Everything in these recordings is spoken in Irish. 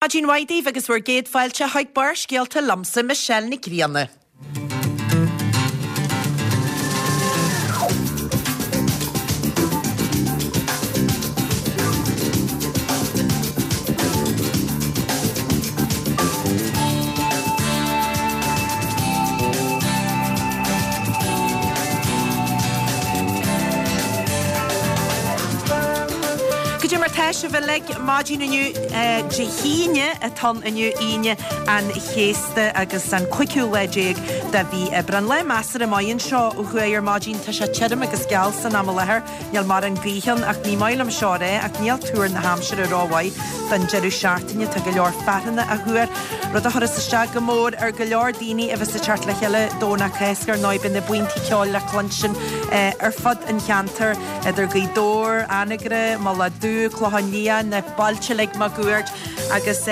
Maidin mhaith daoibh agus bhur gcéad fáilte chuig Barrscéalta liomsa, Michelle Nic Grianna. Goidé mar tá sibh uilig maidin inniu Dé hAoine atá ann inniu, Aoine an Chéasta agus an cúigiú lá déag de mhí Aibreán. Lá measartha maith anseo ó thuaidh ar maidin. Tá sé tirim agus geal san am i láthair. Níl mórán gaoithe ann ach ní maith liom seo a rá ach níl tuar na haimsire rómhaith don deireadh seachtaine. Tá go leor fearthainne á thuar, rud a chuireas isteach go mór ar go leor daoine a bheas ag teacht le chéile Domhnach Cásca. Ar ndóigh beidh na buíontaí ceoil le cluinstin ar fud an cheantair, idir Gaoth Dobhair, Anagaire, Mullach Dubh, Clochán Liath, na bailte uilig máguaird agus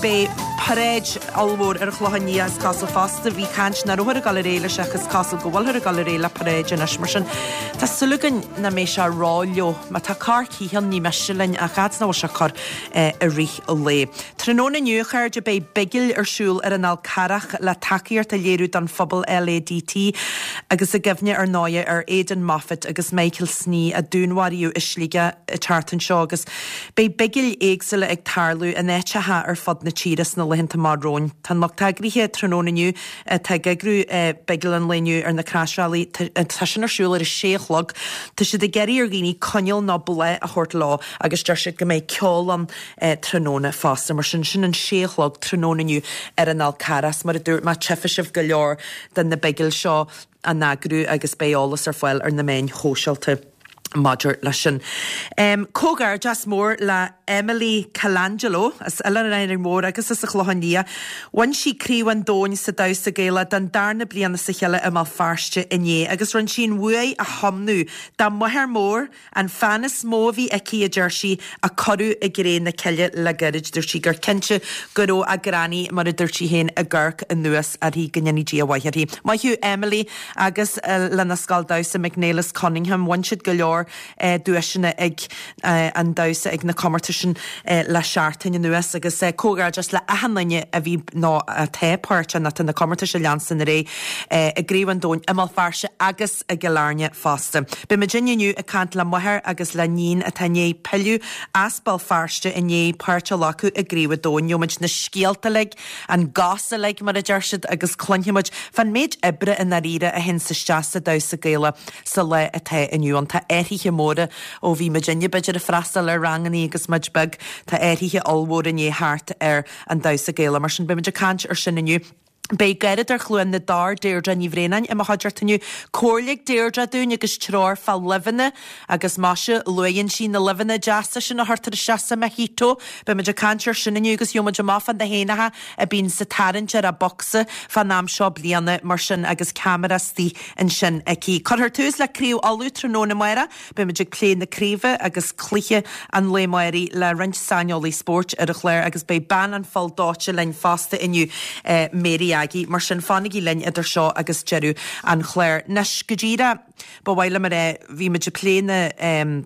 beidh paráid ollmhór ar an Chlochán Liath is cosúil fosta. Bhí caint nach rabhthar ag dul ar aghaidh leis ach is cosúil go bhfuilthear ag dul ar aghaidh le paráid anois. Mar sin, tá súil againn nach mbeidh sé rófhliuch. Má tá corrchith ann ní miste linn ach fhad is nach bhfuil sé ag cur i rith an lae. Tráthnóna inniu, a chairde, beidh bigil ar siúl ar an Fhál Carrach le tacaíocht a léiriú don phobal LADT agus i gcuimhne ar ndóighe ar Aidan Moffat agus Michael Snee a dúnmharaíodh i Sligeach an tseachtain seo agus beidh bigil éagsúla ag tarlú in áiteacha ar fud na tíre sna laethanta amach romhainn. Tá an lucht eagraithe tráthnóna inniu atá ag eagrú bigil an lae inniu ar na Croisbhealaí, tá sin ar siúl ar a sé a chlog. Tá siad ag iarraidh ar dhaoine coinneal nó bláth a thabhairt leo agus deir siad go mbeidh ceol ann tráthnóna fosta. Mar sin, sin an sé a chlog tráthnóna inniu ar an Fhál Carrach. Mar a dúirt mé, tchífidh sibh go leor de na bigil seo á n-eagrú agus beidh eolas ar fáil ar na meáin shóisialta maidir leis sin. Comhghairdeas mór le Emily Colangelo as Oileán Árainn Mhór agus as an Chlochán Liath. Bhain sí Craobh an Domhain sa damhsa Gaelach don darna bliain as a chéile i mBéal Feirste inné agus rinne sí an bhuaidh a thiomnú dá máthair mór, An fan is mó a bhí aici, a deir sí, a cuireadh i gcré na cille le gairid. Dúirt sí gur cinnte go raibh a granny, mar a dúirt sí féin, ag amharc anuas uirthi. Go ndéanaí Dia a mhaith uirthi. Maith thú Emily agus lena scoil damhsa McNelis Cunningham. Bhain siad go leor duaiseanna ag an damhsa ag na comórtais sin le seachtain anuas agus comhghairdeas le achan duine a bhí nó atá páirteach nó tá na comórtais ag leanstan ar aghaidh i gCraobh an Domhain i mBéal Feirste agus i gCill Airne fosta. Beidh muidinne inniu ag caint le máthair agus le níon atá i ndiaidh pilleadh as Béal Feirste i ndiaidh páirt a ghlacadh i gCraobh an Domhain. Gheobhaidh muid na scéalta uilig, an goss uilig mar a deir siad agus cluinfidh muid fán méid oibre i ndáiríre a théanns isteach sa damhsa Gaelach sa lá atá inniu ann. Tá athruithe móra ó bhí muidinne b'fhéidir ag freastal ar rangannaí agus muid beag, tá athruithe ollmhóra i ndiaidh theacht ar an damhsa Gaelach. Mar sin beidh muid ag caint ar sin inniu. Beidh Garradóir Chluain na dTor, Deirdre Ní Bhraonáin, i mo chuideachta inniu. Comhairle ag Deirdre dúinn agus treoir fá luibheanna agus maise, luaigheann sí na luibheanna deasa sin a chuirtear isteach sa mojito. Beidh muid ag caint ar sin inniu agus gheobhaidh muid amach fá na héanacha a bíonn sa tarraingt ar a bocsa fán am seo bliana mar sin agus ceamara istigh ansin aici. Cuirfear tús le Craobh Uladh tráthnóna amárach. Beidh muid ag plé na craoibhe agus cluiche an lae amáirigh le roinnt saineolaí spóirt ar an chlár agus beidh bean an phoill dóite linn fosta inniu, Mary Aggie. Mar sin, fanaigí linn idir seo agus deireadh an chláir. Anois, go díreach, ba mhaith liom a rá, bhí muid ag plé na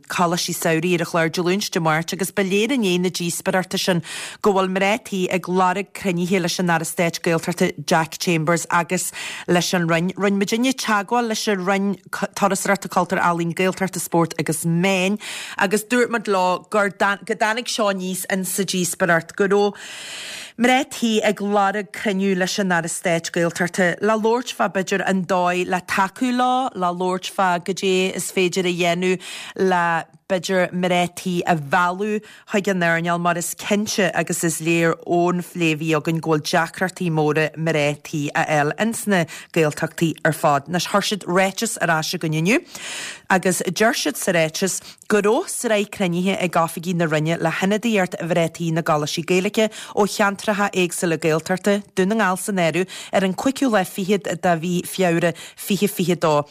coláistí samhraidh ar an chlár Dé Luain 's Dé Máirt agus ba léir i ndiaidh na díospóireachta sin go bhfuil mná tí ag lorg cruinnithe leis an Aire Stáit Gaeltachta Jack Chambers agus leis an Roinn. Rinne muidinne teagmháil leis an Roinn Turasóireachta, Cultúir, Ealaíon, Gaeltachta, Spóirt agus Meáin agus dúirt muid leo gur go dtáinig seo aníos in sa díospóireacht go raibh mná tí ag lorg cruinniú leis an Aire Stáit Gaeltachta le labhairt fá b'fhéidir an dóigh le tacú leo, le labhairt fá goidé is féidir a dhéanamh le b'fhéidir mná tí a mhealladh chuig an earnáil mar is cinnte agus is léir ón phlé a bhí againn go bhfuil deacrachtaí móra mná tí a fháil ins na Gaeltachtaí ar fad. Anois chuir siad ráiteas ar ais chugainn inniu agus deir siad sa ráiteas go raibh sraith cruinnithe ag oifigigh na Roinne le hionadaíocht mhná tí na gcoláistí Gaeilge ó cheantracha éagsúla Gaeltachta, Dún na nGall san áireamh, ar an cúigiú lá fichead de mhí Feabhra 2022.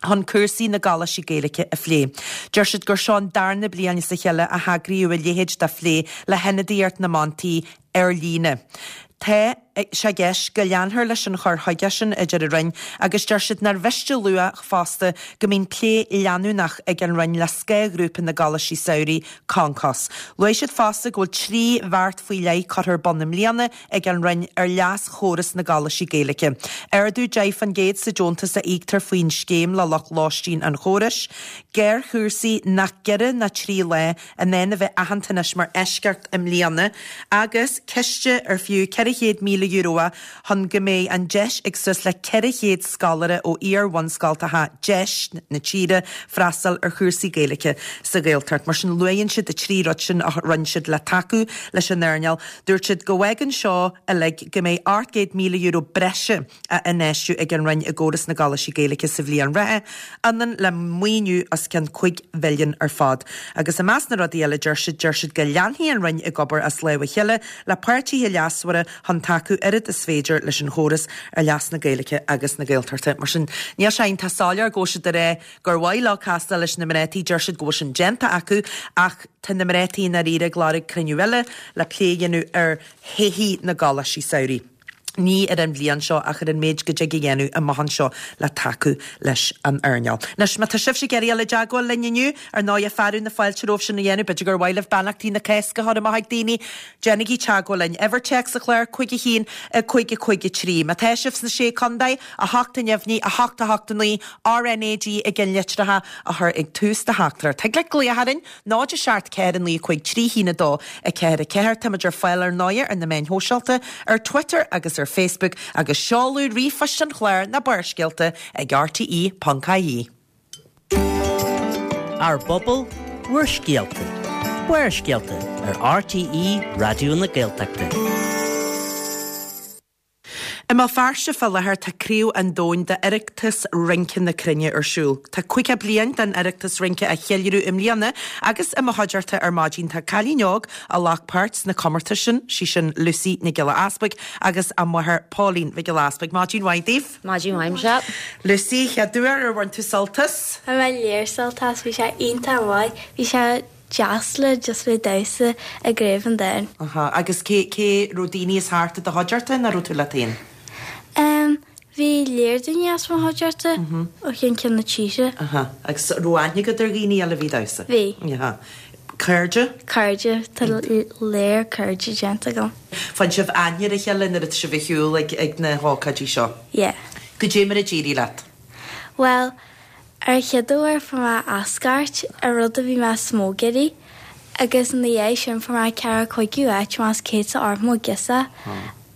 chun cúrsaí na gcoláistí Gaeilge a phlé. Deir siad gur seo an darna bliain as a chéile a heagraíodh a leithéid de phlé le hionadaíocht na mban tí ar líne. Tá. sé i gceist go leanfar leis an chur chuige sin, a deir an Roinn, agus deir siad nár mhiste a lua fosta go mbíonn plé leanúnach ag an Roinn le scáthghrúpa na gColáistí Samhraidh, Concos. Luaigh siad fosta go bhfuil 3 bheart faoi leith curtha ar bun i mbliana ag an Roinn ar leas chóras na gcoláistí Gaeilge. Ardú 10% sa deontas a íoctar faoin scéim le lucht lóistín an chórais, gearrchúrsaí nach giorra ná 3 lá in ann a bheith aitheanta anois mar eisceacht i mbliana agus ciste ar fiú €400,000 é chun go mbeidh an deis ag suas le 400 scoláire ó iar-bhunscoltacha deis na tíre freastal ar chúrsaí Gaeilge sa Ghaeltacht. Mar sin luaigheann siad na 3 rud sin a rinne siad le tacú leis an earnáil. Dúirt siad go bhfágann seo uilig go mbeidh €800,000 breise á infheistiú ag an Roinn i gcóras na gcoláistí Gaeilge sa bhliain reatha, ionann le maoiniú os cionn 5 mhilliún ar fad. Agus i measc na rudaí eile deir siad, deir siad go leanfaidh an Roinn ag obair as lámh a chéile le páirtithe leasmhara chun tacú oiread is féidir leis an chóras ar leas na Gaeilge agus na Gaeltachta. Mar sin, níl sé iontach soiléir go bhfuil siad ag rá gur mhaith leo castáil leis na mná tí, deir siad go bhfuil sin déanta acu ach tá na mná tí i ndáiríre ag lorg cruinniú eile le plé a dhéanamh ar thodhchaí na gcoláistí samhraidh. Ní ar an bhliain seo ach ar an méid go dtig a dhéanamh amach anseo le tacú leis an earnáil. Anois, má tá sibhse ag iarraidh a dhul i dteagmháil linn inniu, ar ndóighe, fearadh na fáilte romhaibh sin a dhéanamh, b'fhéidir gur mhaith libh beannachtaí na Cásca a chur amach ag daoine, déanaigí teagmháil linn. Uimhir téacs an chláir, 5 1 5 5 3. Má tá sibh sna Sé Contae, 8 neamhní, 8 8 9, RNAG i gceannlitreacha a chur ag tús do theachtaireacht. Thig leat glaoch orainn 0 7 4 9 5 3 1 2 4 4. Táimid ar fáil ar ndóighe ar na meáin shóisialta, ar Twitter agus ar Facebook, agus seoladh ríomhphoist an chláir ná Barrscéalta ag rte.ie. Ár bpobal, bhur scéalta. Barrscéalta ar RTÉ Raidió na Gaeltachta. I mBéal Feirste fá láthair tá Craobh an Domhain d'Oireachtas Rince na Cruinne ar siúl. Tá 50 bliain den Oireachtas Rince á cheiliúradh i mbliana agus i mo chuideachta ar maidin tá cailín óg a ghlac páirt sna comórtais sin, sí sin Lucy Nic Giolla Easpaig agus a máthair Pauline Mhic Giolla Easpaig. Maidin mhaith daoibh. Maidin mhaith muise. Lucy, chéad uair ar bhain tú sult as? Bhain mé léar sult as, bhí sé iontach maith. Bhí sé deas le just bheith ag damhsa i gCraobh an Domhain. Aha, agus cé, cé raibh daoine as thart i do chuideachta nó raibh tú leat féin? Em, bhí léar daoine as mo chuideachta ó cheann ceann na tíre. Aha, agus raibh aithne agat ar dhaoine eile a bhí ag damhsa? Bhí. Aha. Cairde? Cairde, tá léar cairde déanta agam. Faigheann sibh aithne ar a chéile nuair atá sibh ar shiúl ag, ag na hócáidí seo? Yeah. Goidé mar a d'éirigh leat? Bhuel, Ar an chéad uair fuair mé eascairt ar rud a bhí mé is mó ag iarraidh agus ina dhiaidh sin fuair mé ceathrú cúigiú áit amach as 100 sa 80 girseach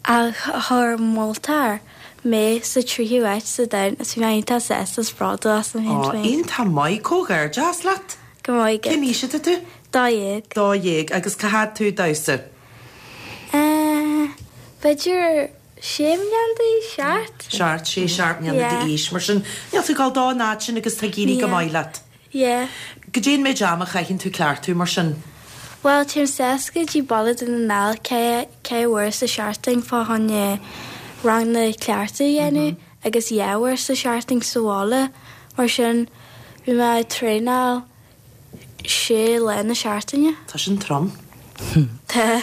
ach chuir moltóir mé sa tríú áit sa domhan is bhí mé iontach sásta is bródúil asam féin Ó, iontach maith, comhghairdeas leat! Go raibh maith agat. Cén aois atá tú? 12. 12, agus cá fhad tú ag damhsa? Eh, b'fhéidir Sé mbliana d'aois, seacht? Seacht, sé, seacht mbliana Yeah. d'aois. Mar sin, níl tú ag dul don fhad sin agus tá ag éirí go Yeah. maith leat. Yeah. Goidé an méid ama a chaitheann tú ag cleachtadh mar sin? Bhuel, téim suas go dtí Baile Dhún na nGall ceithre uair sa seachtain fá choinne ranganna cleachtadh a dhéanamh agus dhá uair sa seachtain sa bhaile. Mar sin, bhí mé ag traenáil sé lá na seachtaine. Tá sin trom. Tá.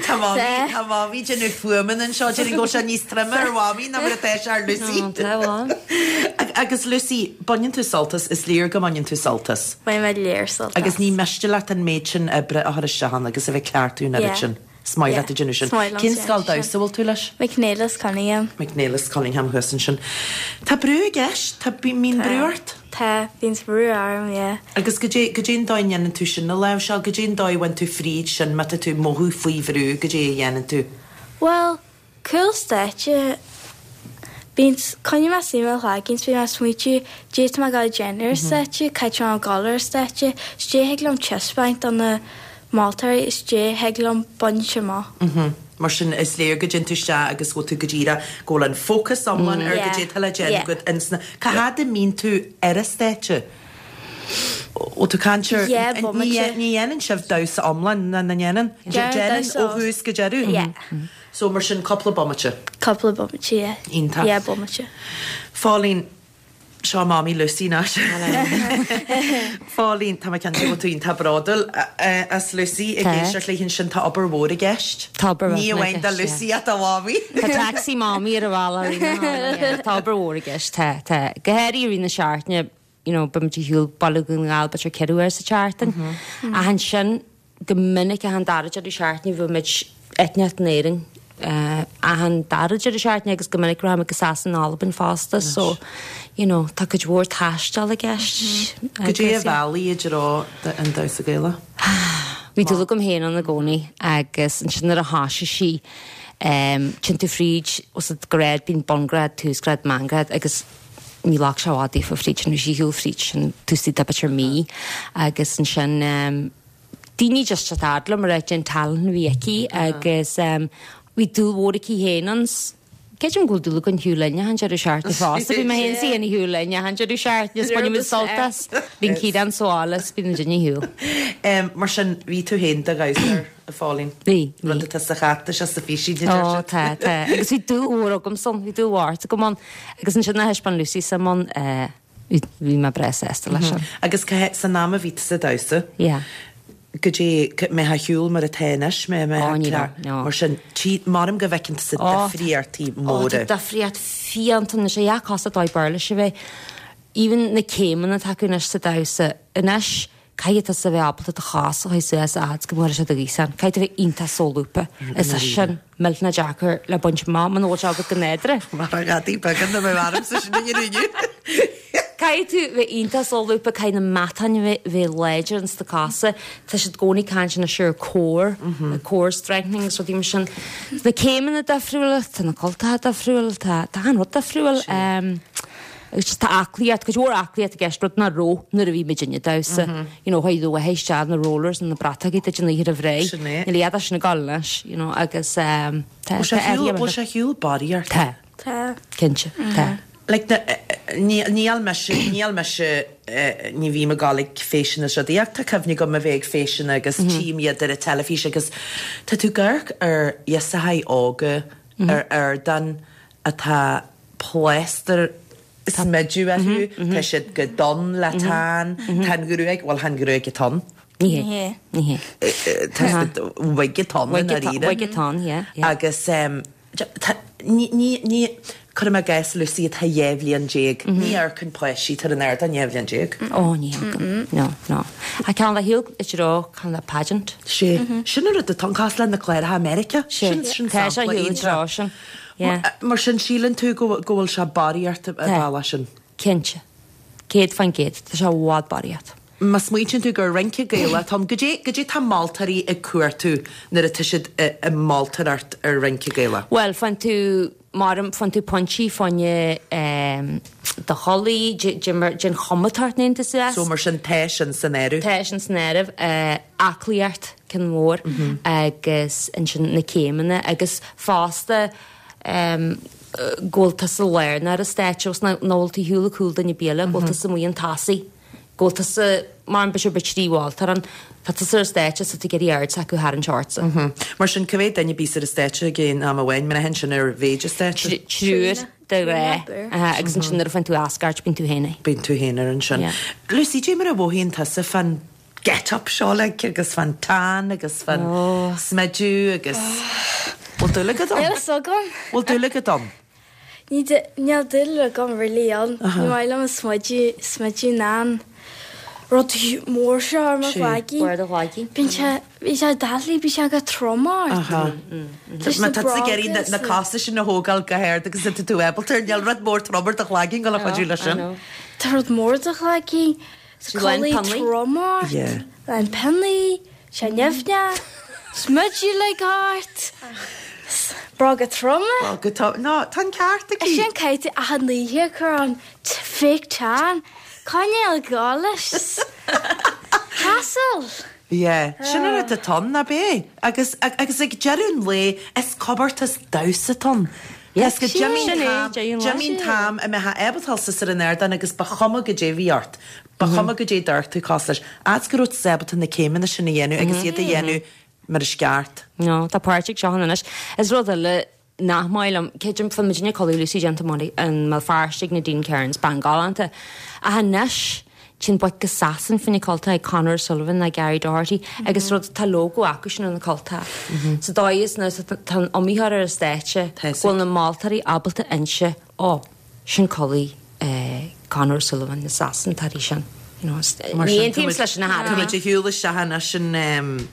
Tá Mamaí, tá Mamaí ag déanamh fuaimeanna anseo, déarfainn go bhfuil sé níos troime ar Mhamaí ná mar atá sé ar Lucy. Tá bhuel. Agus Lucy, baineann tú sult as, is léir go mbaineann tú sult as. Bainim léar sult as. Agus ní miste leat an méid sin oibre a chur isteach ann agus a bheith ag cleachtadh an oiread Yeah. sin. Is maith leat ag déanamh sin. Cén scoil damhsa a bhfuil tú leis? McNeilus Cunningham. McNeilus Cunningham thuas ansin. Tá brú i gceist? Tá, mbíonn brú ort? Tá, bíonn brú orm, yeah. Agus goidé, goidé an dóigh a ndéanann tú sin a láimhseáil? Goidé an dóigh a bhfaigheann tú fríd sin má tá tú ag mothú faoi bhrú, goidé a dhéanann tú? Bhuel, Cúl stáitse, Bíonn, coinníonn mé suí i mo chloigeann 's bíonn mé ag smaoitiú goidé atá mé ag dul a dhéanamh ar an stáitse, cá háit atá mé ag dul ar an stáitse, 's goidé a thig liom taispeáint do na moltóirí is goidé a thig liom baint amach. Mar sin is léir go dtéann tú isteach agus go bhfuil tú go díreach, go bhfuil an fócas iomlán ar goidé atá le déanamh agat ins na, cá fhad a mbíonn tú ar an stáitse? Bhfuil tú ag caint ar, ní dhéanann sibh damhsa iomlán, ná ndéanann? Déanann, ó thús go deireadh? Yeah. So mar sin cúpla bomaite? Cúpla bomaite, yeah. Iontach. Yeah, bomaite. Phauline, Seo Mamaí Lucy anois. Phauline, tá mé cinnte go bhfuil tú iontach bródúil as Lucy ag éisteacht léi ansin. Tá obair mhór i gceist. Tá obair Ní amháin do Lucy ach do Mhamaí. Tá taxi Mamaí ar an bhealach i rith na hama, yeah. Tá obair mhór i gceist, tá, tá. Go háirithe i rith na seachtaine, you know, beimid ar shiúl Baile Dhún na nGall b'fhéidir 4 uair sa tseachtain. Ach ansin, Go minic achan dara deireadh seachtaine bheadh muid áit inteacht in Éirinn achan dara deireadh seachtaine agus go minic rachaidh muid go Sasana nó Albain fosta so you know tá cuid mhór taisteal i gceist. Goidé a mheall í i dtreo an damhsa Gaelach? Bhí dúil agam féin ann i gcónaí agus ansin nuair a thoisigh sí téann tú fríd os a grád bíonn bunghrád, túsghrád, meánghrád agus ní ghlac sé i bhfad daofa fríd sin, bhí sí ar shiúl fríd sin tús de b'fhéidir mí agus ansin daoine just teacht fhad liom a rá cén talent a bhí aici agus bhí dúil mhór aici féin ann. Creidim go bhfuil dúil againn shiúl linn achan deireadh seachtaine fosta. Bhí mé féin is í ar shiúl linn achan deireadh seachtaine is bainim sult as. Bíonn Ciarán sa bhaile is bíonn muidinne ar shiúl. Mar sin, bhí tú féin i do dhamhsóir, a Phauline. Bhí, bhí. Rud atá sa chat, tá sé sa físín, a deir siad. Ó, tá, tá. Agus bhí dúil mhór agamsa ann, bhí dúil mhór agam ann. Agus ansin a thaispeáin Lucy suim ann, Bhí mé breá sásta leis sin. Agus san am a bhí tusa ag damhsa, Yeah. goidé, mbeifeá ar shiúl mar atá anois, mé, mé, Ó, ní raibh, no. Mar sin, tí, maram go bhfeiceann tusa difríochtaí móra. Ó, tá difríocht fiánta anois, a dheá cosúil dóigh b'uirlis a bheith. Even na céimeanna atá acu anois sa damhsa, anois, Caithfidh tusa a bheith ábalta do chos a chur suas a fhad is go mbuailfidh sé do ghaosán. Caithfidh tú a bheith iontach solúbtha. Is é sin millteanach deacair le baint amach muna bhfuil sé agat go nádúrtha. Mar a ghadaí beaga na mbeadh ormsa sin a dhéanamh inniu. Caithfidh tú bheith iontach solúbtha, caithfidh na meatáin a bheith bheith láidir ins do chosa. Tá siad i gcónaí ag caint anois ar core, core strengthening agus rudaí mar sin. Tá na céimeanna difriúla, tá na cultacha difriúil, tá tá achan rud difriúil. Agus tá aclaíocht, cuid mhór aclaíocht i gceist, rud nach raibh nuair a bhí muidinne ag damhsa. You know, chuaigh tú uaithi isteach na rollers nó na bratógaí duit an oíche roimh ré. Sin é. Níl a fhios sin ag dul anois, you know, agus tá, tá athraithe. Bhfuil sé ar shiúl barraíocht? Tá. Tá. Cinnte, tá. Like, na, níl mise, níl mise, ní bhím ag dul ag feiseanna is rudaí ach tá cuimhne agam a bheith ag feiseanna agus tchím iad ar an teilifís agus tá tú ag amharc ar ghirseachaí óga ar ardán atá plástar smideadh orthu, tá siad go donn le tan, tá an ghruaig, bhuel, tá an ghruaig tinn. Ní hé. Ní hé. Tá wig tinn i ndáiríre. Wig tinn, yeah, yeah. Agus tá, ní, ní, ní, cuirim i gcás Lucy atá 12 bhliain, ní amharcann páistí ar an ardán 12 bhliain. Ó, ní amharcann. No, no. Ach ceann le shiúl i dtreo, ceann le pageant. Sé, sin an rud atá ann, cosúil le na cláracha Meiriceá. Sin, sin sampla iontach. Tá sé ar shiúl i dtreo sin. Yeah. Mar sin, síleann tú go bhfuil sé barraíocht ar bhealach sin? Cinnte. 100%. Tá sé i bhfad barraíocht. Má smaointíonn tú gur rince Gaelach atá ann, goidé, goidé tá moltóirí ag cuartú nuair atá siad ag moltóireacht ar rince Gaelach? Bhuel, faigheann tú, maram, faigheann tú pointí fá choinne do chulaith, cén chuma atá ort nuair a théann tú suas. So mar sin, tá sin san áireamh? Tá sin san áireamh. Aclaíocht, ceann mór, agus ansin na céimeanna agus fosta go bhfuil tusa lárnach ar an stáitse agus nach bhfuil tú ar shiúl ag cúl duine ar bith eile, go bhfuil tusa amuigh chun tosaigh, go bhfuil tusa, mar b'fhéidir beidh trí mholtóir ann, tá tusa ar an stáitse so tá tú ag iarraidh aird s'acu a tharraingt ortsa. Mar sin, cá mhéad duine a bíos ar an stáitse ag aon am amháin, muna théann sin ar mhéid an stáitse? Triúr de ghnáth, agus ansin nuair a faigheann tú ascairt bíonn tú féin air. Bíonn tú féin air ansin. Lucy, cad é mar a mhothaíonn tusa fán get up seo like agus fán tan agus fán smideadh agus bhfuil dúil agat ann? Níl fhios agam. Bhfuil dúil agat ann? Ní níl dúil agam really ann. Ní maith liom an smideadh smideadh ná an rud mór seo ar mo ghlaigín. Ar do ghlaigín. Bíonn sé bíonn sé doiligh bíonn sé go trom ort. Aha. Leis Má na tá tú ag iarraidh bróga na cosa sin a thógáil go hard agus tá tú ábalta níl rud mór trom ar do ghlaigín ag gabháil a chuidiú leis sin. Tá rud mór ar do ghlaigín. Culaith trom ort, lán pionnaí, sé nimhneach, smideadh like ort, bróga troma. Bróga troma, no, tá an ceart aici. Sin caithfidh tú achan oíche a chur an fake tan, coinneáil gá leis. Hassle! Yeah, sin an rud atá ann, ab é? Agus, agus ag deireadh an lae, is comórtas damhsa atá ann. Is go d'imigh an t-am, d'imigh an t-am a mbeifeá ábalta dul suas ar an ardán agus ba chuma goidé a bhí ort, ba chuma goidé a d'amharc tú cosúil leis, fhad 's go raibh tú ábalta na céimeanna sin a dhéanamh agus iad a dhéanamh mar is ceart. No, tá páirt ag seo anois. Is rud eile. nach maith liom, creidim, fuair muidinne culaith Lucy déanta i mBéal Feirste ag Nadine Kearns, bean galánta. Ach anois, téann boic go Sasain fá choinne cultacha ag Conor O'Sullivan ná Gary Doherty agus rud, tá lógó acu sin ar na cultacha. Sa dóigh is nuair tá an iomaitheoir ar an stáitse, go bhfuil na moltóirí ábalta inse, ó, Sin culaith Conor O'Sullivan i Sasain tar éis sin. You know, ní aontaím leis na Tá muid ag shiúl isteach anois an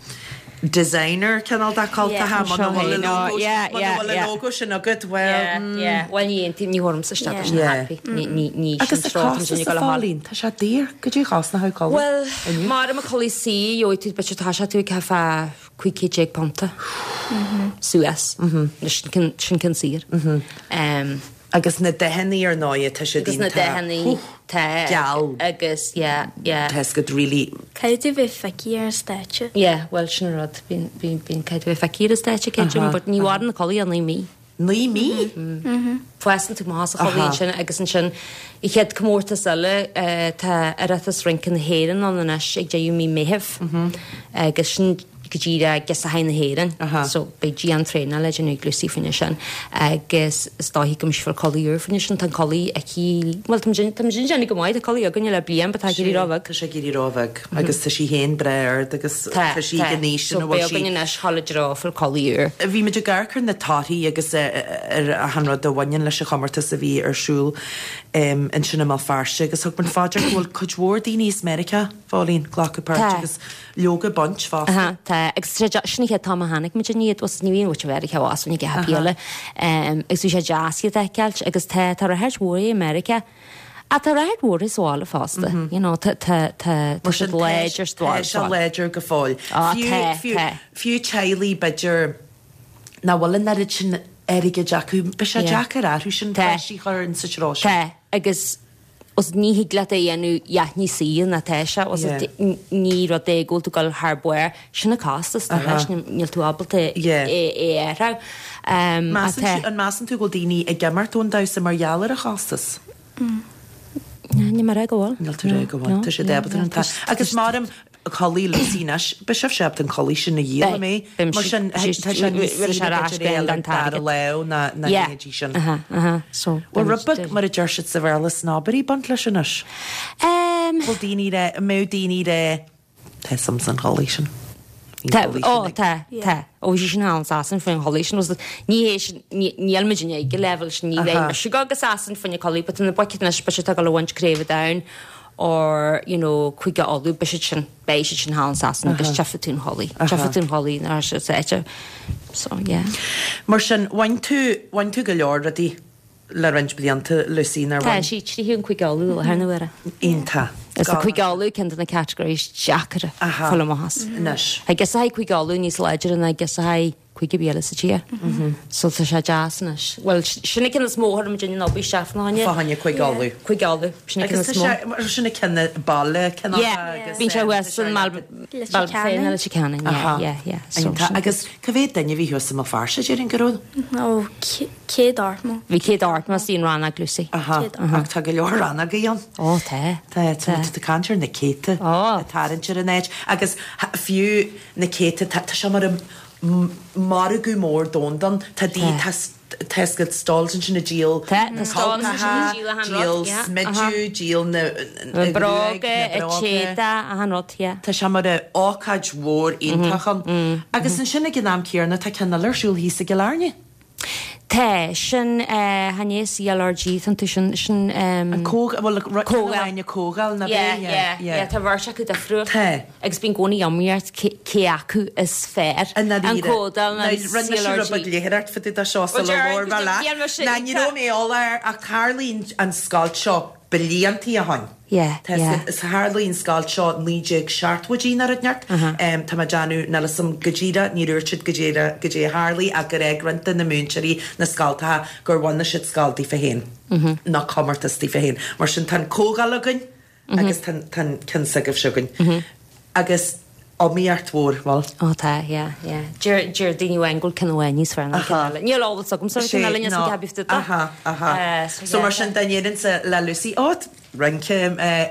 designer cineál de cultacha muna bhfuil an logo muna bhfuil an logo sin agat, well, mm. Bhuel ní aontaím, ní thabharfaimse isteach leis na haipí. Ní ní sin Agus tráth an duine go le Pauline, tá sé daor goidé a chosnódh culaith. Bhuel, mar mo culaith saor gheobhaidh tú b'fhéidir tá sé tú ag fá 15 punta suas. Sin ceann saor. Agus na dathannaí ar ndóighe, tá siad Agus na iontach dathannaí, tá, geal. agus yeah, yeah. Tá siad really. Caithfidh tú bheith picky ar an stáitse. Yeah, bhuel sin an rud, bíonn, bíonn, bíonn, caithfidh tú bheith picky ar an stáitse, creidim, but ní mhaireann na culaithe ach 9 mí. 9 mí? Fásann tú amach as an chulaith ansin agus ansin an chéad comórtas eile, tá Oireachtas Rince na hÉireann ann anois ag deireadh mí Meithimh agus sin, go díreach girseachaí na hÉireann. So beidh dian-traenáil le déanamh ag Lucy fá choinne sin agus is dóichí go mbeidh sí ag fáil culaith úr fá choinne sin. Tá an culaith aici, bhuel tá muid tá muid ag déanamh go maith, tá culaith againne le bliain but tá ag éirí róbheag. Tá sé ag éirí róbheag agus tá sí féin breá ard agus tá sí ag an aois So ina bhfuil beidh sí. againn anois chuile dtreo ag fáil culaith úr. Bhí muid ag amharc ar na torthaí agus ar achan rud a bhaineann leis an chomórtas a bhí ar siúl ansin i mBéal Feirste agus thug muid fá dear go bhfuil cuid mhór daoine as Meiriceá, Phauline, glacadh páirt Tá. agus Leoga baint fosta. Aha, tá. Agus sin an chéad t-am a chonaic muid iad, bhuel ní bhíonn muid i Mheiriceá as bhíonn ag ithe bia agus bhí sé deas iad a fheiceáilt agus tá, tá ráchairt mhór i Meiriceá. Ach tá ráchairt mhór sa bhaile fosta, you know, tá, tá, tá, tá siad láidir sa Tá sé láidir go fóill. Á, Fiú, tá, fiú, tá. fiú teaghlaigh b'fhéidir nach bhfuil an oiread sin airgid acu, beidh sé Yeah. deacair orthu sin Tá. páistí a chur in sa treo sin. Tá, agus Os ní thig leat é a dhéanamh dhath níos saoire ná tá sé, os ní rud é go bhfuil tú ag dul thar barr, sin an costas atá leis, níl tú ábalta é a athrú. An measann tú go bhfuil daoine ag imeacht ón damhsa mar gheall ar an chostas? Níl mé ag rá go bhfuil. Níl tú ag rá go bhfuil. Tá siad ábalta an Agus mar culaith Lucy anois, beidh sibhse ábalta an chulaith sin a dhíol, an mbeidh? Mar sin, tá sé níos saoire b'fhéidir é ar an dara lámh ná na leithéidí sin. Bhfuil rud beag, mar a deir siad sa Bhéarla, snobbery ag baint leis anois? Bhfuil daoine rá, an mbeadh daoine rá, tá suim san chulaith sin. Tá, ó, tá, tá. Ó, bhí sí sin thall in Sasain faoin chulaith sin, ní hé sin, níl muid ag an leibhéal sin, ní bheidh mise ag dul go Sasain faoin chulaith, but tá na boic anois, beidh siad ag dul a bhaint Craobh an Domhain, or you know Cúige Uladh beidh siad sin beidh siad sin thall in Sasana agus tchífidh tú an chulaith tchífidh tú an chulaith nuair atá siad sáite so yeah. Mar sin bhain tú bhain tú go leor rudaí le roinnt blianta Lucy nár Tá bhain? sí tríú an Cúige Uladh i láthair na huaire. Iontach. Is tá Cúige Uladh ceann de na categories deacair a fáil amach as. Anois. Tá girseachaí Cúige Uladh níos láidre ná girseachaí Cúige ar bith eile sa tír. So tá sé deas anois. Bhuel, sin an ceann is mó a chuir muid an obair isteach fá choinne. Fá choinne Cúige Uladh. Cúige Uladh. Sin an ceann Agus is tá mó. sé, mar sin an ceann baile cineál Yeah. agus Bíonn sé tá thuas sé san leat. Leitir Ceanainn. Leitir Ceanainn, yeah, Aha. yeah, yeah. So Iontach. sin Agus cá mhéad duine a bhí thuas i mBéal Feirste, déarfainn go raibh? Ó, 180. Bhí 180 istigh in rannóg Lucy. Aha. Ach tá go leor rannógaí ann. Ó, tá. Tá, tá muid ag caint ar na céadta Ó. ag tarraingt ar an áit. Agus fiú na céadta, tá sé mar a margadh mór domhanda ann. Tá daoine, tá tá scoil stalls ansin ag díol Tá, tá stalls ansin ag díol achan rud, díol yeah, smideadh, díol na Na gruaig, bróga, na an bróga. t-éadach, achan rud, yeah. Tá sé mar a ócáid mhór iontach ann. Agus ansin ag an am céanna tá ceann eile ar siúl thíos i gCill Airne. Tá, sin, chan é CLRG, tá tú sin, sin. An comhdháil, bhuel, Comhdháil. comhdháil, an comhdháil, ná Yeah, b'é? yeah, yeah, tá beirt acu difriúil. Tá. Agus bíonn i gcónaí iomaíocht cé, cé acu is fearr. I ndáiríre. An comhdháil nó Now, an rinne mise rud beag CLRG. léitheoireacht fá dtaobh de seo Well, sula dear, labhair mé leat. níl mise Ná ní raibh mé eolach air ach tharlaigh an scoilt seo bliantaí ó shoin. Yeah, Tá yeah. is tharlaigh an scoilt seo 1970idí nó rud inteacht. Tá mé ag déanamh, níl 'fhios a'm go díreach, ní dúirt siad go díreach goidé a tharlaigh ach gur fhág roinnt de na múinteoirí na scoltacha gur bhunaigh siad scoil daofa féin nó comórtas daofa féin. Mar sin tá an comhdháil againn agus tá an tá an ceann s'agaibhse againn. Agus iomaíocht mhór, bhuel. Ó tá, yeah, yeah. Deir, deir daoine amháin go bhfuil ceann amháin níos fearr ná an ceann eile. Níl eolas agamsa ar an ceann eile, níl 'fhios a'm cad fá dtaobh de. Aha, aha. So So yeah. mar sin dá ndéarfainnse le Lucy, ó, rince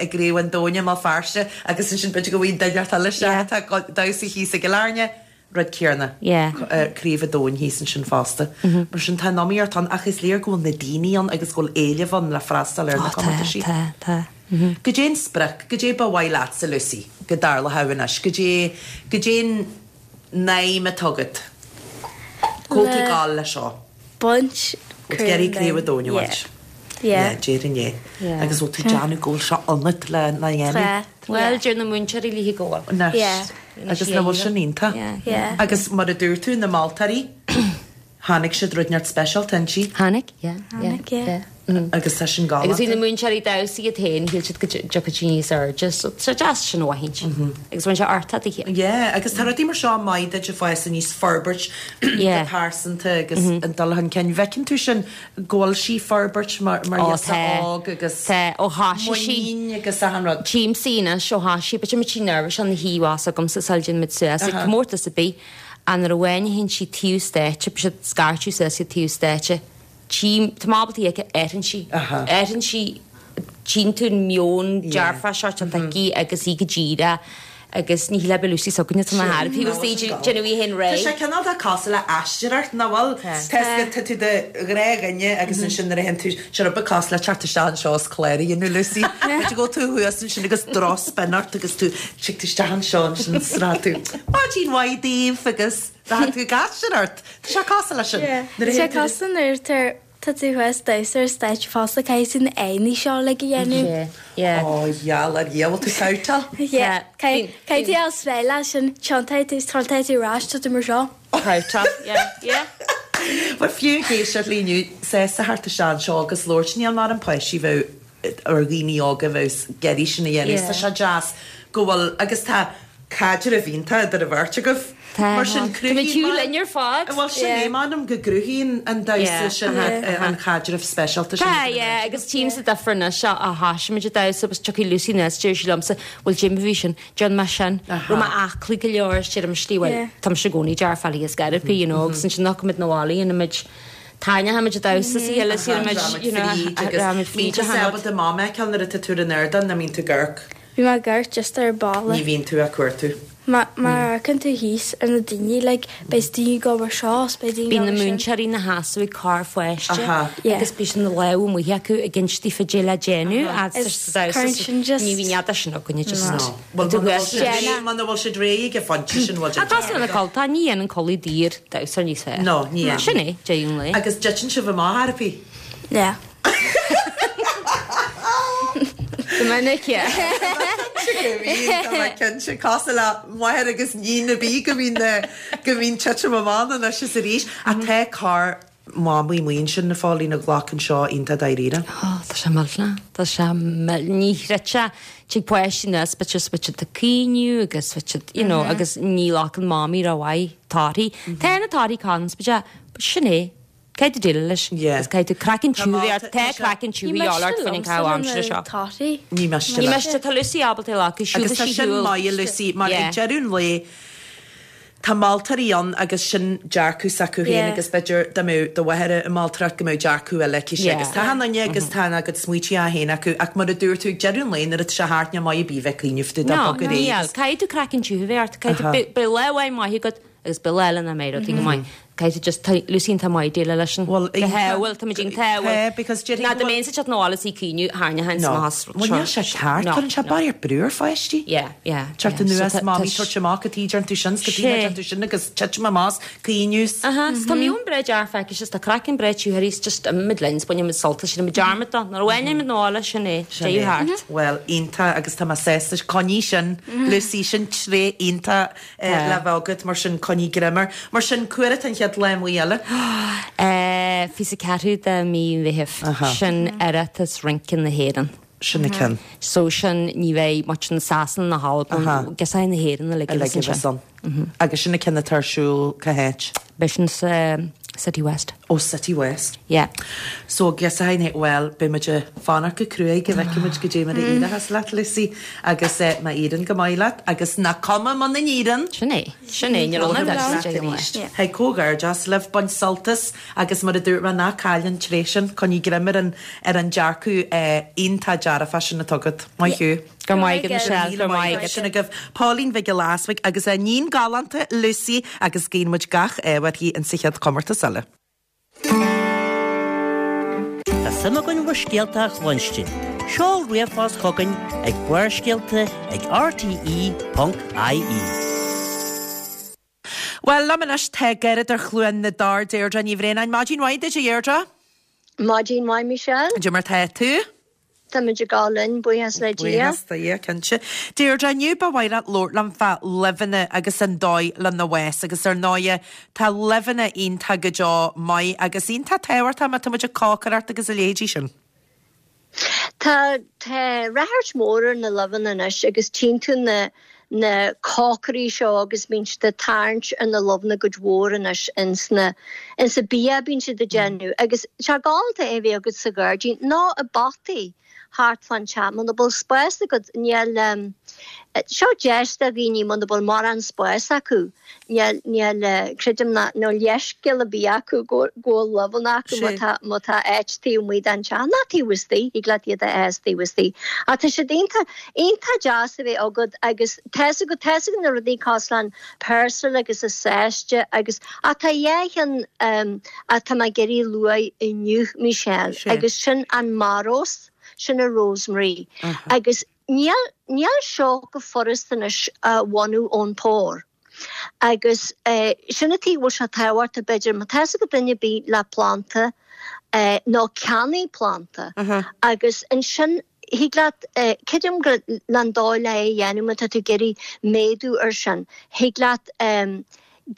i gCraobh an Domhain i mBéal Feirste agus ansin b'fhéidir go bhfuil duine eile isteach atá ag damhsa thíos i gCill Airne. Rud céanna. Yeah. Craobh an Domhain thíos ansin fosta. Mar sin tá an iomaíocht ann ach is léir go bhfuil na daoine ann agus go bhfuil éileamh ann le freastal ar na comórtaisí. Tá, tá, tá. Goidé an sprioc, goidé ba mhaith leatsa, Lucy, go dtarlódh anois, goidé, goidé an aidhm atá agat? Cá bhfuil tú ag gabháil leis seo? Baint Bhfuil tú ag iarraidh Craobh an Domhain a bhaint? Yeah. Yeah, déarfainn é. Yeah. Agus bhfuil tú ag déanamh go bhfuil seo ionat le na dhéanamh? Tá. Bhuel, deir na múinteoirí léi go bhfuil. Anois. Yeah. Agus nach bhfuil sin iontach? Yeah. Yeah. Agus mar a dúirt tú, na moltóirí, tháinig siad rud inteacht speisialta inti. Tháinig, yeah. Tháinig, yeah. Agus tá sin Agus bhí galánta. na múinteoirí damhsa iad féin, shíl siad go dtiocfadh sí níos airde, so tá sé deas sin a mhaithint. Agus bhain sé ardtá daoithe. Yeah, agus tá rudaí mar seo maith duit ag fás aníos, forbairt go Yeah. pearsanta agus an dul chun cinn. Bhfeiceann tú sin go bhfuil sí ag forbairt mar mar Ó ghirseach tá. óg agus Tá, ó thoisigh sí. muinín agus achan rud. Tchímse anois ó thoisigh sí, b'fhéidir muid sí nervous an thaobh s'agamsa sula dtéann muid suas ag comórtas ar bith, ach nuair amháin a théann sí taobh stáitse, bíonn siad ag scairteadh suas iad taobh stáitse, tchím, tá mé ábalta a fheiceáil, athraíonn sí, athraíonn sí, tchíonn tú an meon dearfach seo atá aici agus í go díreach agus ní shílfeá Lucy s'againne tá na hairpí agus í ag déanamh í féin Tá réidh. sé cineál de cosúil le aisteoireacht, nach bhfuil? Tá tá tú do ghnáthdhuine agus ansin nuair a théann tú, sé rud beag cosúil le teacht isteach anseo is clár a dhéanamh Lucy. B'fhéidir go bhfuil tú thuas ansin agus drochspin ort agus tú, tig tú isteach anseo ansin is rá tú, Maidin mhaith daoibh agus bheadh tú ag aisteoireacht. Tá sé cosúil leis sin. Tá sé cosúil nuair atá tá tú thuas damhsa ar stáitse fosta caithfidh tú na aghaidheanna seo uilig a dhéanamh. Yeah, yeah. Ó yeah, le Dhia, bhfuil tú babhtáil? Yeah, caithfidh tú a smile leis sin, tiontaigh tú, tiontaigh tú ar ais, tá tú mar seo. Babhtáil, yeah, yeah. Bhuel fiú ag éisteacht linn inniu, sásta theacht isteach anseo agus labhairt, níl mórán páistí bheadh ar dhaoine óga bheadh ag iarraidh sin a dhéanamh. Tá sé deas go bhfuil, agus tá caidreamh iontach idir an bheirt agaibh. Tá. Mar sin Tá muid cruthaíonn fiú linn ar fad. Bhuel sin é, m'anam go gcruthaíonn an damhsa sin an chaidreamh speisialta sin Tá, idir an yeah, bheirt agus tchímse difear anois ó thoisigh muid ag damhsa agus tiocfaidh Lucy anuas, deir sí liomsa, bhuel goidé mar bhí sin, déan mé sin, raibh mé aclaí go leor is deirim slí, bhuel, tá mise i gcónaí dearfach léi is scairpí, you know, agus ansin thiocfaidh muid 'na bhaile, dhéanfaidh muid Tarraingeoidh muid ag damhsa sa chéile is iarraimid, you know, rachaimid fríd Bíonn tú achan rud. ábalta mam a fheiceáil nuair atá tú ar an ardán nó mbíonn tú ag amharc? Bhí mé ag amharc just ar balla. Ní bhíonn tú á cuartú. Má amharcann tú thíos ar na daoine like beidh daoine ag obair seo is beidh daoine Bíonn na ag obair sin. múinteoirí 'na sheasamh ag corrpháiste Yeah. agus bíonn siad na lámha amuigh acu ag inse daofa goidé le déanamh fhad is sa damhsa Is current sin just. ní bhíonn fhada sin againne just. No. Bhuel muna bhfuil siad réidh, muna bhfuil siad réidh ag an phointe sin bhfuil Tá cosúil lena codladh, tá, ní dhéanann codladh daor damhsóir níos fearr. No, ní dhéanann. Sin é, deireadh an lae. Agus dtiteann sibh amach ar bith? Yeah. Go minic, yeah. Cinnte go mbíonn, tá mé cinnte, cosúil le máthair agus níon ar bith go mbíonn, go mbíonn titim amach ann anois is arís. Ach tá corr mamaí amuigh ansin a Phóilín a ghlacann seo iontach dáiríre. Ó, tá sé millteanach. Tá sé mil-, ní chreidfeá. Tig páistí anuas, bíonn siad, bíonn siad ag caoineadh agus bíonn siad, you know, agus ní ghlacann mamaí rómhaith torthaí. Tá na torthaí conspóideach, but sin é. Caithfidh tú déileáil leis. Yeah. Agus caithfidh tú craiceann Tá tiubh a má- bheith ort. Tá tá sé- craiceann Ní tiubh a dhíobháil ort miste faoin liomsa caitheamh na aimsire seo. torthaí. Ní miste Ní leat. miste, tá Lucy ábalta a ghlacadh, Agus siúlfaidh tá sí sin shiúl. maith, a Lucy, mar Yeah. ag deireadh an lae, Tá moltóirí ann agus sin dearcadh s'acu féin agus b'fhéidir dá mbeadh do mháthair ag moltóireacht go mbeadh dearcadh eile aici Yeah. agus tá achan duine agus tá a gcuid smaoití féin acu ach mar a dúirt tú ag deireadh an lae nuair atá sé thart níl maith ar bith bheith ag cuimhneamh fá dtaobh No, bog ar aghaidh níl. agus Caithfidh tú craiceann tiubh a bheith ort. Caithfidh tú, beidh lá amháin maith agat agus beidh lá eile nach mbeidh rudaí go maith. Caithfidh tú just, tá, Lucy iontach maith déileáil leis sin. Bhuel, Go hádhúil, tá muid iontach ádhúil. Tá, because déarfainn Ná go dá bhfuil. mbeinnse ag teacht 'na bhaile is í ag caoineadh, tharraingeoinn No. amach as rud Bhuel, seo. níl sé ceart, No, cuireann sé no. barraíocht brú ar pháistí. Yeah, yeah, Teacht yeah. So anuas, tá, tá, mamaí tabhairt amach cad chuige dtearn tú sin, 's cad chuige nach dtearn tú sin agus titim amach, caoineadh 's. Aha, 's tá meon breá dearfach aici, 's tá craiceann breá tiubh uirthi, 's just imímid linn, 's bainimid sult as, déanaimid dearmad dó. Nuair a bhaineann muid 'na bhaile, sin é, Sin deireadh é. thart. Bhuel, iontach agus tá mé sásta, coinnigh sin, Lucy, sin tréith iontach. le bheith agat, mar sin coinnigh greim air. Mar sin, cá huair atá an chéad lá amuigh eile? 24 de mí Mheithimh. Sin Oireachtas Rince na hÉireann. Sin an ceann. So sin, ní bheidh muid in Sasana na hAlban, girseachaí na hÉireann uilig a bheas ansin. Agus sin an ceann atá ar siúl cá háit? Beidh sin sa City West. Ó City West. Yeah. So girseachaí na, bhuel, beidh muid ag fanacht go cruaidh go bhfeicfidh muid goidé mar a éireochas leat, Lucy, agus má éiríonn go maith leat, agus nach cuma muna n-éiríonn! Sin é, sin é, níl ann ach deireadh an lae. Hey, comhghairdeas libh, bain sult as, agus mar a dúirt mé, ná caill an tréith sin, coinnigh greim ar an, ar an dearcadh iontach dearfach sin atá agat. Maith thú. Go raibh maith agat Michelle, go raibh maith agat. Sin agaibh Pauline Mhic Giolla Easbuig agus a iníon galánta Lucy agus guíonn muid gach ádh uirthi insa chéad chomórtas eile. Tá suim againn bhur scéalta a chluinstin. Seol ríomhphost chugainn ag barrscéalta ag rte.ie. Bhuel, liom anois tá Garradóir Chluain na dTor, Deirdre Ní Bhraonáin. Maidin mhaith duit, a Dheirdre. Maidin mhaith, Michelle. Cad é mar tá tú? Táimid ag gabháil linn, buíochas le Dia. Buíochas do Dhia, cinnte. Deirdre, inniu ba mhaith leat labhairt liom fá luibheanna agus an dóigh lena bhfás agus ar ndóighe tá luibheanna iontach go deo maith agus iontach tábhachtach má tá muid ag cócaireacht agus a leithéidí sin. Tá, tá ráchairt mhór ar na luibheanna anois agus tchíonn tú na, na cócairí seo agus bíonn siad ag tarraingt ar na luibheanna cuid mhór anois ins na, ins an bia a bíonn siad ag déanamh agus tá sé galánta é a bheith agat sa ghairdín nó i bpotaí thart fán teach muna bhfuil spás agat níl, seo deis do dhaoine muna bhfuil mórán spáis acu níl, níl, creidim ná, níl leithscéal ar bith acu go go bhfuil luibheanna acu má tá, má tá áit taobh amuigh den teach, nó taobh istigh, thig leat iad a fhás taobh istigh. Ach tá siad iontach, iontach deas a bheith agat agus tá's agat, tá's agat na rudaí cosúil leis an peirsil agus an sáiste agus, ach tá dhá cheann atá mé ag iarraidh a lua inniu, Michelle, agus sin an maróis, sin an rosemary agus níl, níl seo go furast anois a bhaint ón pár. Agus sin an tuige a bhfuil sé tábhachtach, b'fhéidir, má tá's agat duine ar bith le planta nó ceannaigh planta agus ansin thig leat, creidim go an dóigh le é a dhéanamh má tá tú ag iarraidh méadú ar sin, thig leat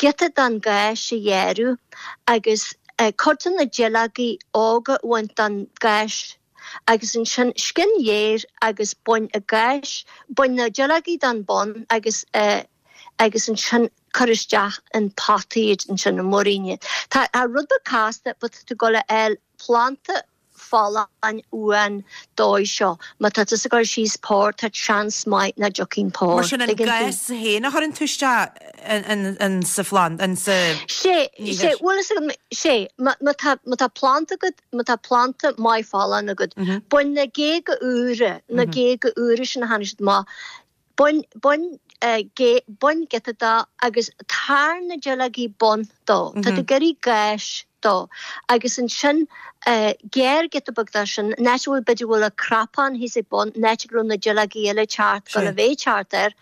giota den gcás a ghearradh agus cuid de na duilleogaí óga a bhaint den gcás agus ansin scian ghéar agus bain an gás, bain na duilleogaí den bun agus agus ansin cuir isteach in pota iad ansin, i muirín iad. Tá rud beag casta but tá tú ag dul a fháil planta folláin uain dóigh seo. Má tá tusa ag cur síos pár, tá seans maith nach dtiocfaidh an pár. Mar sin an gás féin a chuireann tú isteach in sa phlant, in sa Sé, sé, bhfuil fhios agam, sé, má tá, má tá planta agat, má tá planta maith folláin agat, bain na géaga úra, na géaga úra sin a tháinig siad amach, bain, bain, bain giota dó agus tarraing na duilleogaí bun dó. Tá tú ag iarraidh gás dó. Agus ansin gearr giota beag dó sin, an áit a bhfuil, b'fhéidir go bhfuil an cnapán thíos ag bun, an áit go raibh na duilleogaí eile ag teacht, go a bheith ag teacht air,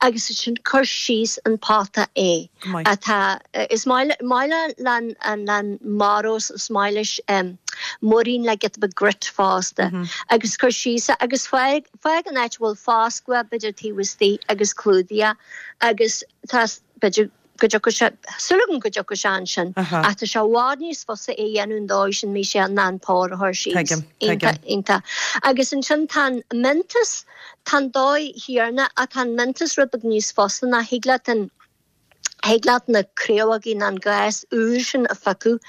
agus ansin cuir síos in pota é. Atá, is maith maith le an le maróis, is maith leis muirín le giota beag grit fosta. Agus cuir síos é agus fág, fág an áit a bhfuil foscadh, b'fhéidir taobh istigh agus clúdaigh é agus tá, b'fhéidir go dtiocfaidh sé, súil agam go dtiocfaidh sé ansin ach tá sé i bhfad níos fusa é a dhéanamh an dóigh sin Michelle ná an pár a chur síos. Tuigim, tuigim. Iontach. Agus ansin tá an miontas, tá an dóigh chéanna ach tá an miontas rud beag níos fusa ná thig leat an, thig leat na craobhógaí ná an gás úr sin a phiocadh,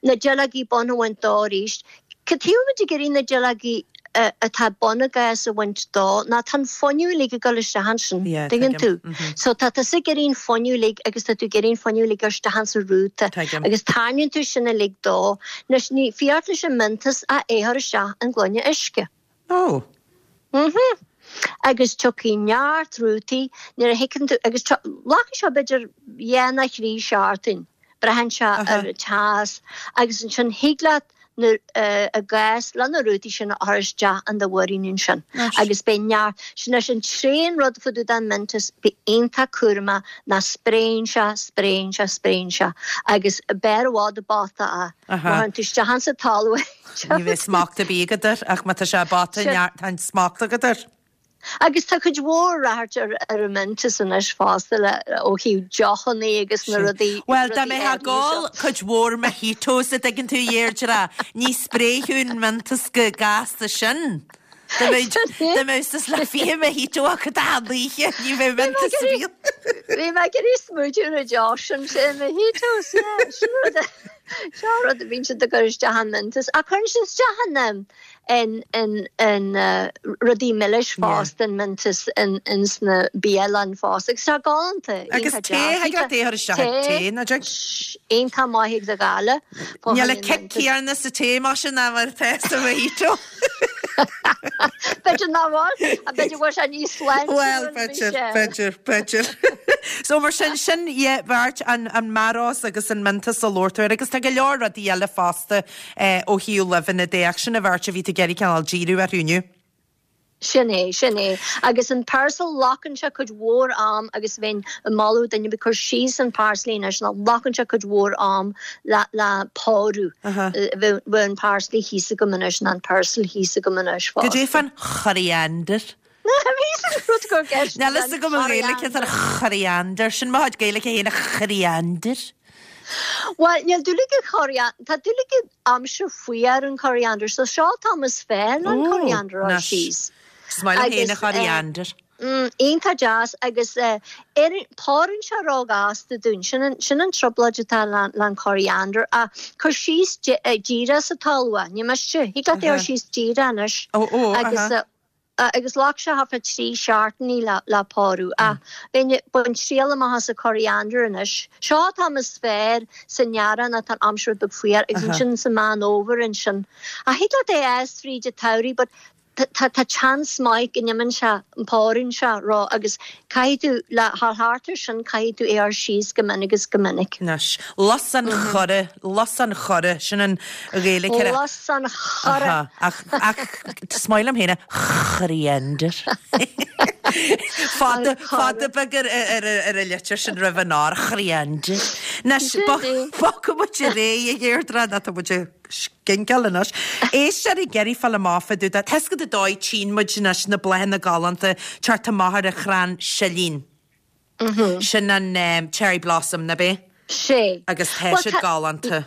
na duilleogaí bun a bhaint dó arís. Cad chuige a bhfuil muid ag iarraidh na duilleogaí atá bun an gás a bhaint dó ná tá an fuinneamh uilig ag dul isteach ansin, tuigeann tú? So tá tusa ag iarraidh an fuinneamh uilig agus tá tú ag iarraidh an fuinneamh uilig a chur isteach insa rúta agus tarraingíonn tú sin uilig dó. Anois ní fiú leis an miontas ach é a chur isteach i ngloine uisce. Oh. Mhm. Agus tiocfaidh neart rútaí nuair a thiocfaidh tú agus glacfaidh sé b'fhéidir dhá nó thrí seachtain. Braitheann sé ar an teas agus ansin thig leat na an gás le na rútaí sin a chur isteach in do mhuirín ansin agus beidh neart sin leis an t-aon rud fá dtaobh den miontas bí iontach cúramach ná spréann sé spréann sé spréann sé agus b'fhearr i bhfad i bpota é má chuireann tú isteach insa talamh é. Ní bheidh smacht ar bith agat air ach má tá sé i bpota neart tá an smacht agat air. Agus tá cuid mhór ráchairt ar ar an miontas anois fosta le ó thaobh deochanna agus na rudaí Bhuel, dá mbeifeá ag ól cuid mhór mojitos a dtuigeann tú a Dheirdre, ní spréifeadh an miontas chomh gasta sin. Dá mbeadh dá mbeadh suas le 20 mojito agat achan oíche, ní bheadh miontas ar bith. Bhí mé ag iarraidh smaoitiú ar an deoch sin, sé mojitos, yeah, sin rud a seo rud a bhíonn siad ag cur isteach an miontas. Ach cuireann siad isteach in in in in rudaí milis fosta an miontas in ins na bialann fosta agus tá galánta Agus iontach tae, deas. thig leat é a chur isteach i tae, nach dtig? Iontach maith ag do ghála fá Níl choinne an an cic miontas. céanna sa tae mar sin ná mar atá sa mhojito. B'fhéidir nach bhfuil, ach b'fhéidir go bhfuil sé níos sláintiúil Bhuel, b'fhéidir, b'fhéidir, b'fhéidir. So mar sin, sin é beirt an an marrows agus an Mintus a labhair tú air agus tá go leor rudaí eile fosta ó thaobh luibheanna de ach sin an bheirt a bhí tú ag iarraidh cineál díriú orthu inniu. Sin é, sin é. Agus an parsley, glacann sé cuid mhór am agus bheinn ag moladh duine ar bith cur síos an parsley anois ná glacann sé cuid mhór am le, le pórú. Bheadh, bheadh an parsley thíos agam anois ná an peirsil thíos agam anois fosta. Goidé fán choriander? Bhí sin rud gur gceist Níl fhios agam an Ghaeilge cén an choriander, sin mo chuid Gaeilge féin, choriander. Bhuel, níl dúil ag an choriander, tá dúil ag aimsir fuar an coriander so seo an t-am is fearr le an coriander a chur síos. Is maith liom féin an choriander. Iontach deas agus pórann sé ró-ghasta dúinn, sin an sin an trioblóid atá le an coriander ach cuir síos díreach sa talamh é, ní miste, thig leat é a chur síos díreach anois agus agus ghlac sé thart fá 3 seachtainí le pórú. Ach bheinn ag baint triail amach as an coriander anois. Seo an t-am is fearr san earrach nuair atá an aimsir rud beag fuar agus ansin sa Meán Fhómhair ansin. Ach thig leat é a fhás fríd an tsamhraidh but tá tá chance maith go n-imíonn sé, an pórann sé ró agus caithfidh tú le thar thart ar sin caithfidh tú é a chur síos go minic is go minic. Anois, lus an chora, lus an chora, sin an Ghaeilge ar a. Lus an chora. Ach, ach, is maith liom féin an choriander. Fada, fada beag ar, ar, ar an litir sin roimh an R, choriander. Anois, bogfaidh muid ar aghaidh, a Dheirdre, nó tá muid ag scinceáil anois. Éisteoirí ag iarraidh fáil amach fá dtaobh de. Tá 'fhios agat an dóigh tchíonn muid anois na bláthanna galánta teacht amach ar an chrann silín. Sin an cherry blossom, ná b'é? Sé. Agus tá siad galánta.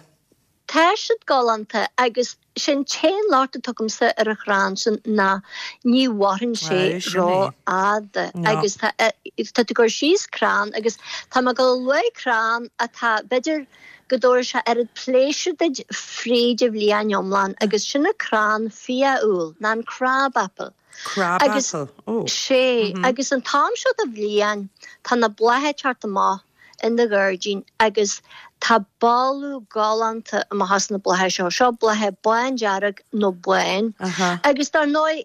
Tá siad galánta agus sé'n t-aon locht atá agamsa ar an chrann sin ná ní mhaireann sé ró-fhada agus tá tá tú ag cur síos crann agus tá mé ag dul a luaigh crann atá b'fhéidir go dtabharfaidh sé oiread pléisiúr duit fríd an bhliain iomlán agus sin an crann fia-úll ná an crab apple. Crab Agus apple, ó. sé agus an t-am seo de bhliain tá na blátha ag teacht amach in do ghairdín agus tá boladh galánta amach as na blátha seo. Seo blátha bándearg nó bán. Agus dar ndóigh,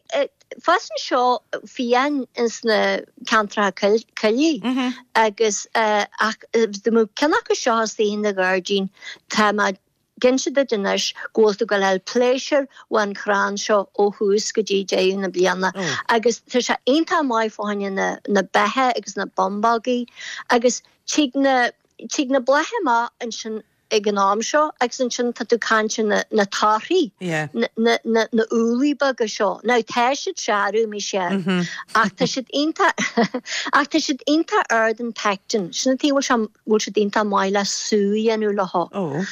fásann seo fiáin ins na ceantracha coillidh agus ach dá mbeadh ceann acu seo istigh in do ghairdín, tá mé cinnte duit anois go bhfuil tú ag dul a fháil pléisiúr ón chrann seo ó thús go dtí deireadh na bliana agus tá sé iontach maith fá choinne na na beithe agus na bumbógaí agus tig na tig na blátha amach ansin ag an am seo agus ansin tá tú ag caint ar na na torthaí na na na na úllaí beaga seo. Now tá siad searbh Michelle ach tá siad iontach ach tá siad iontach ard in pectin sin an tuige a bhfuil sé bhfuil siad iontach maith le sú a dhéanamh leo.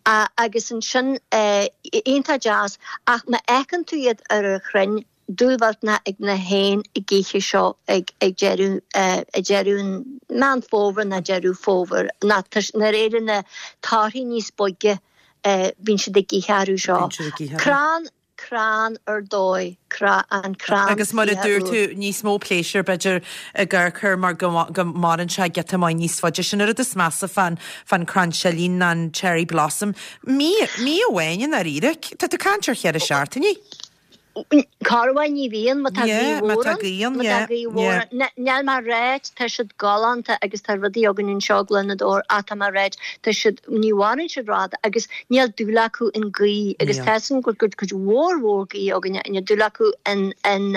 Agus ansin, iontach deas, ach má fheiceann tú iad ar an chrainn, dúil mhillteanach ag na héin ag ithe seo ag deireadh, ag deireadh an Meán Fómhair ná deireadh fómhair, ná nuair a éiríonn na torthaí níos boige, bíonn siad ag ithe orthu seo. Crann crann ar dóigh, an crann Agus mar a dúirt tú, níos mó pléisiúir b'fhéidir ag amharc air mar go maireann sé giota maith níos faide. Sin an rud is measa fán fán crann silín ná an cherry blossom. Mí, mí amháin i ndáiríre. Tá tú ag caint ar cheithre seachtainí. Corruair ní bhíonn má tá Yeah, gaoth má mhór tá ann. gaoth ann, Má tá yeah, gaoth mhór yeah. ann. Níl mé ag ráit, tá siad galánta agus tá rudaí againn anseo i gCluain Odhar ach tá mé ag ráit, tá siad, ní mhaireann siad rófhada agus níl dúil acu in gaoth agus tá 'fhios agam go bhfuil cuid mhór mhór gaoth againne, níl dúil acu in in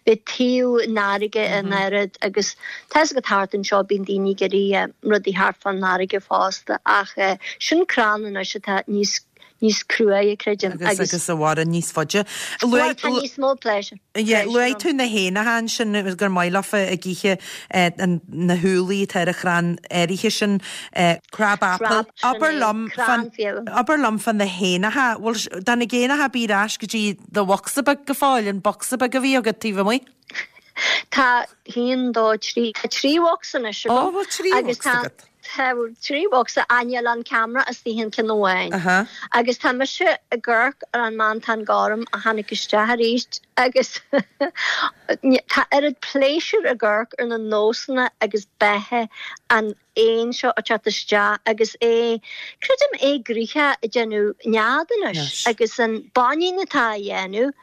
bheith taobh an fharraige an oiread agus tá 'fhios agat thart anseo bíonn daoine ag iarraidh rudaí thart fán fharraige fosta ach sin crann anois atá níos níos cruaidhe creidim agus agus a mhaireann níos faide. Bhuel tá níos mó pléisiúr. Yeah, luaigh tú na héanacha ansin gur maith leofa ag ithe na húllaí atá ar an chrann áirithe sin, crab apple. Abair liom fán abair liom fá na héanacha, bhfuil dtáinig éanacha ar bith ar ais go dtí do bhocsa beag go fóill, an bocsa beag a bhí agat taobh amuigh? Tá haon, dó, trí, tá trí bhocsa anois agam. Ó, bhfuil trí bhocsa agat? Tá trí bhocsa, ach níl an ceamara istigh in ceann amháin. Agus tá mise ag amharc ar an mantán gorm a tháinig isteach arís agus tá oiread pléisiúr ag amharc ar na nósanna agus beatha an. éan seo ag teacht isteach agus é, creidim é gnoitheach ag déanamh nead anois agus an bainín atá á dhéanamh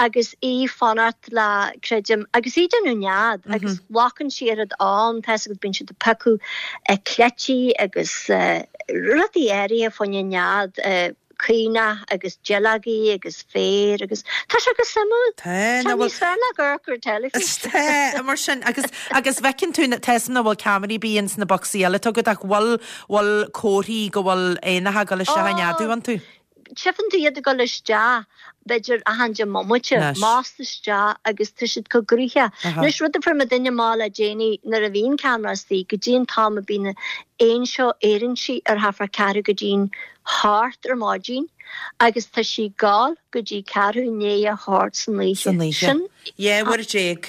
agus í fanacht le, creidim, agus í ag déanamh nead agus glacann sí ar fhad am, tá 'fhios agat, bíonn siad ag piocadh cleití agus rudaí áirithe fá choinne nead. caonach agus duilleogaí agus féar agus tá sé go suimiúil. Tá, Tá nach bhfuil. níos fearr ná ag amharc ar an teilifís. Tá, mar sin, agus, agus bhfeiceann tú, tá 'fhios a'm nach bhfuil ceamaraí ar bith ins na bocsaí eile atá agat ach bhfuil, bhfuil comharthaí go bhfuil éanacha ag dul isteach ag neadú iontu? Tchífeann tú iad ag dul isteach, b'fhéidir achan 10 mbomaite, Anois. amach isteach agus tá siad chomh gnoitheach. Aha. Anois, rud a fuair muidinne amach le déanaí nuair a bhíonn ceamara istigh, go dtí an t-am a bíonn na éin seo, éiríonn sí ar half ar ceathrú go dtí'n hocht ar maidin agus tá sí ag gabháil go dtí ceathrú i ndiaidh a hocht san oíche. San oíche. Sin 12 uair.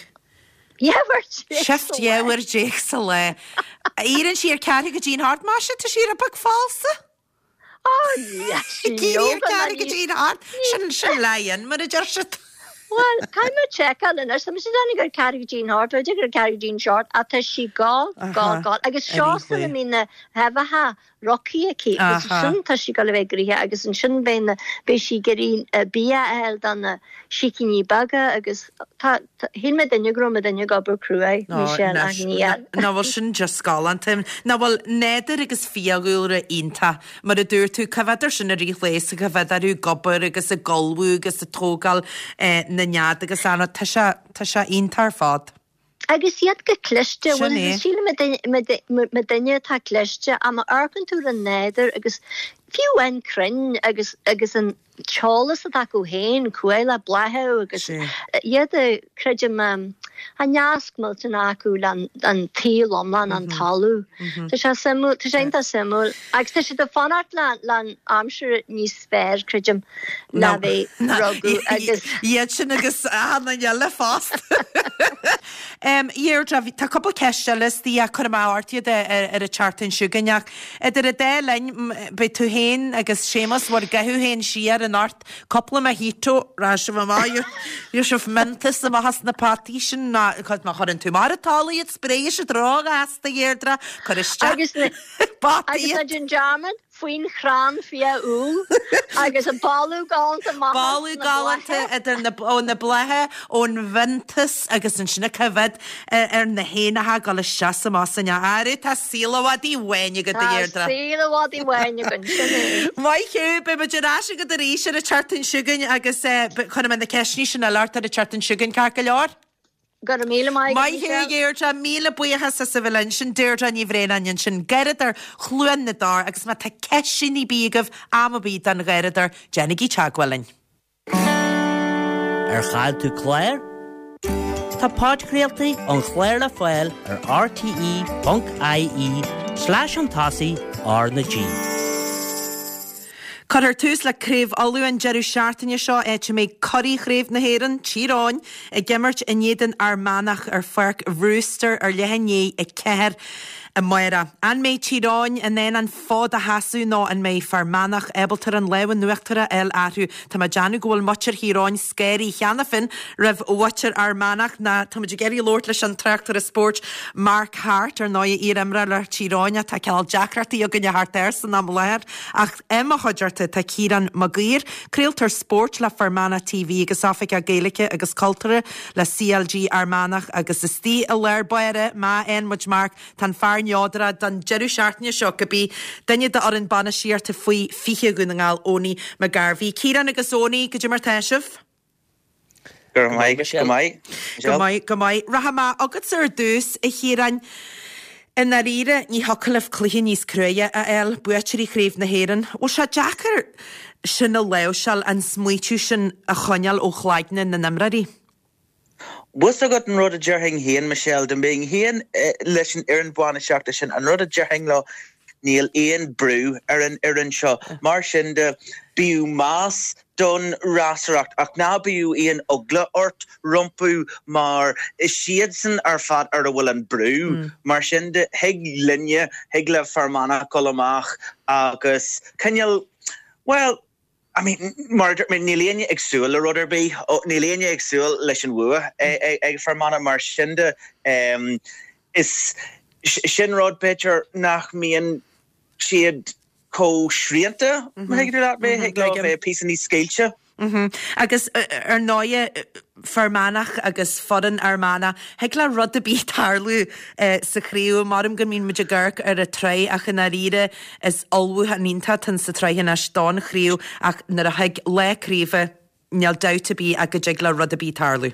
12 uair Shift sa 12 lá. uair sa lá. Éiríonn sí ar ceathrú go dtí'n hocht, maise, tá sí rud beag falsa. Ó, níl sí Ag éirí ar leoga ná ceathrú go ní. dtí'n hocht. Sin, sin lie-in, mar a deir siad. Bhuel, caithfidh mé seiceáil anois, tá mise ag déanamh gur ceathrú go dtí'n hocht, b'fhéidir gur ceathrú go dtí'n seacht, ach tá sí ag gabháil, gabháil, gabháil. Agus Ar seo rith sula lae. mbíonn na huibheacha rocthaí aici agus ansin tá sí ag dul a bheith gnoitheach agus ansin beidh na, beidh sí ag iarraidh bia a fháil do na sicíní beaga agus tá, shíl muidinne go raibh muidinne ag obair cruaidh, Michelle, ach níl. Nach bhfuil sin just galánta. Nach bhfuil nádúr agus fiadhúlra iontach. Mar a dúirt tú, cá bhfeadar sin i rith lae is cá bhfeadar ag obair agus ag ullmhú agus ag tógáil na nead agus ann. Tá sé, tá sé iontach ar fad. Agus iad go cliste, Sin bhuel, é. sílim muidinne atá cliste, ach má amharcann tú ar an nádúr agus fiú amháin crainn agus agus an t-eolas atá acu féin, cumhaidh le blátha agus Sea. iad a, creidim, an nasc millteanach acu le an tsaol iomlán, an talamh. Tá sé suimiúil, tá sé iontach suimiúil agus tá siad ag fanacht le le an aimsir níos fearr, creidim. le bheith rugadh agus. Iad sin agus achan duine eile fosta. Deirdre, tá cúpla ceist eile istigh ach cuirfidh mé ort iad ar an tseachtain seo chugainn ach idir an dá linn beidh tú féin agus Séamus bhur gcaitheamh féin siar anocht cúpla mojito rachaidh sibh amach gheobhaidh sibh miontas amach as na potaí sin má chuireann tú mar atá iad spréifidh siad róghasta Deirdre cuir isteach Agus potaí agus ná déan dearmad faoin chrann fia-úll agus an boladh galánta amach as Boladh na galánta blátha. idir na, ó na blátha, ón bhfiúntas agus ansin a coimhéad ar na héanacha ag dul isteach is amach san Arú tá saol an mhadaidh bháin agat a Tá Dheirdre. saol an mhadaidh bháin againn, sin é. Maith thú, beidh muid ar ais agat arís ar an tseachtain seo chugainn agus cuirfidh mé na ceisteanna sin eile ort ar an tseachtain seo chugainn, ceart go leor? Go raibh míle maith agat, Maith thú, Michelle. Deirdre, míle buíochas as a bheith linn. Sin Deirdre Ní Bhraonáin ansin, Garradóir Chluain na dTor agus má tá ceisteanna ar bith agaibh am ar bith don Gharradóir, déanaigí teagmháil linn. Ar chaill tú clár? Tá podchraoltaí an chláir le fáil ar rte.ie slash chun tosaigh R na G. Cuirfear tús le Craobh Uladh an deireadh seachtaine seo, áit a mbeidh curaidh Chraobh na hÉireann, Tír Eoghain, ag imirt in éadan Fhear Manach ar Pháirc Bhrewster ar leath i ndiaidh 4 amárach. An mbeidh Tír Eoghain in ann an fód a sheasamh nó an mbeidh Fear Manach ábalta an lámh in uachtar a fháil orthu? Tá mé ag déanamh go bhfuil muintir Thír Eoghain scanraithe cheana féin roimh mhuintir Fhear Manach ná tá muid ag iarraidh labhairt leis an tráchtaire spóirt Mark Harte, ar ndóigh, iar-imreoir le Tír Eoghain ach tá cineál deacrachtaí againn a theacht air san am i láthair ach I mo chuideachta tá Ciarán Mag Uidhir, craoltóir spóirt le Fermanagh TV agus Oifigeach Gaeilge agus Cultúrtha le CLG Fhear Manach agus istigh i lár báire, má fhaigheann muid Mark, tá an fear neodrach don deireadh seachtaine seo cibé, duine d'fhoireann bainistíochta faoi 20 Dhún na nGall, Owenie McGarvey. Ciarán agus Owenie, goidé mar tá sibh? Go raibh maith agat, go maith. Go maith, go maith. Rachaidh mé chugatsa ar dtús, a Chiaráin. I ndáiríre, ní thiocfadh libh cluiche níos cruaidhe a fháil, buaiteoirí Chraobh na hÉireann. Bhfuil sé deacair sin a láimhseáil, an smaoitiú sin a choinneáil ó chloigne na n-imreoirí? Bhfuil 's agat an rud a déarfainn féin, Michelle, dá mbeinn féin leis an fhoireann bainistíochta sin, an rud a déarfainn leo, níl aon brú ar an fhoireann seo. Mar sin de, bíodh meas don fhreasúracht ach ná bíodh aon eagla ort rompu mar is iadsan ar fad ar a bhfuil an brú. Mar sin de, thig linne, thig le Fear Manach dul amach agus cineál, bhuel, I mean, mar a dúirt mé, níl éinne ag súil le rud ar bith, níl éinne ag súil leis an bhua ag Fear Manach, mar sin de, is. Sin rud, b'fhéidir, nach mbíonn siad chomh srianta, má thuigeann tú leat mé, thig leo a bheith píosa níos scaoilte. Agus ar ndóighe, Fear Manach agus foireann Fhear Manach, thig le rud ar bith tarlú sa chraobh. Maram go mbíonn muid ag amharc ar an tsraith ach i ndáiríre is ullmhúchán iontach atá sa tsraith anois don chraobh ach nuair a thig lá craoibhe, Níl dabht ar bith ach go dtig le rud ar bith tarlú.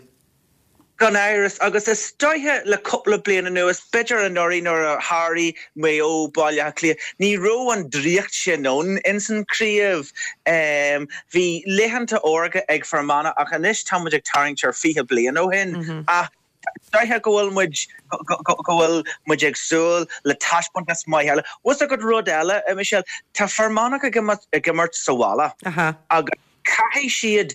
Gan amhras, agus is dóiche le cúpla bliain anuas, b'fhéidir anuraidh nuair a sháraigh Maigh Eo Baile Átha Cliath, ní raibh an draíocht sin ann ins an chraobh. Bhí laethanta órga ag Fear Manach ach anois tá muid ag tarraingt ar 20 bliain ó shin. Ach Is dóiche go bhfuil muid, go bhfuil muid ag súil le taispeántas maith eile. Bhfuil fhios agat rud eile, a Michelle, tá Fear Manach ag imirt sa bhaile agus caithfidh siad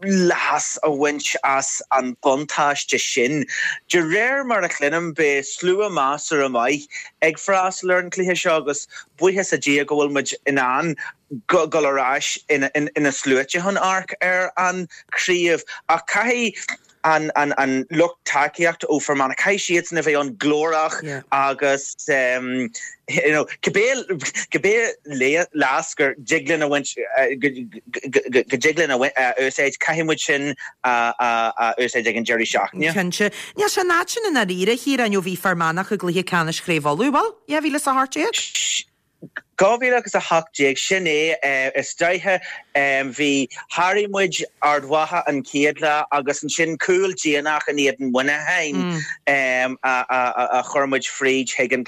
leas a bhaint as an buntáiste sin. De réir mar a chluinim, beidh slua measartha maith ag freastal ar an chluiche seo agus buíochas le Dia go bhfuil muid in ann dul ar ais ina sluaite chun amharc ar an chraobh. Ach caithfidh an lucht tacaíochta ó Fear Manach, caithfidh siadsan a bheith ann glórach agus you know cibé cibé leas gur dtig linn a bhaint go dtig linn a úsáid, caithfidh muid sin a úsáid ag an deireadh seachtaine. Cinnte. Níl sé an fhad sin i ndáiríre, a Chiaráin, ó bhí Fear Manach i gcluiche ceannais Chraobh Uladh, bhfuil? 2018? 2018, sin é, is dóiche. Bhí, sháraigh muid Ard Mhacha an chéad lá agus ansin cúl déanach in éadan Mhuineacháin a chuir muid fríd chuig an,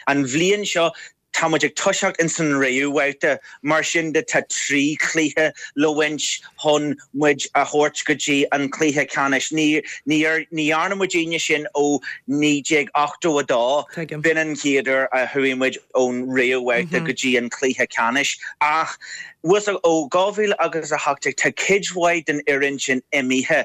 an bhliain seo tá muid ag toiseacht ins an réamhbhabhta, mar sin de tá 3 chluiche le baint chun muid a thabhairt go dtí an cluiche ceannais. Ní dhearna muidinne sin ó 1982, b'in an chéad uair a chuaigh muid ón réamhbhabhta go dtí an cluiche ceannais. Ach ó 2018 tá cuid mhaith den fhoireann sin imithe.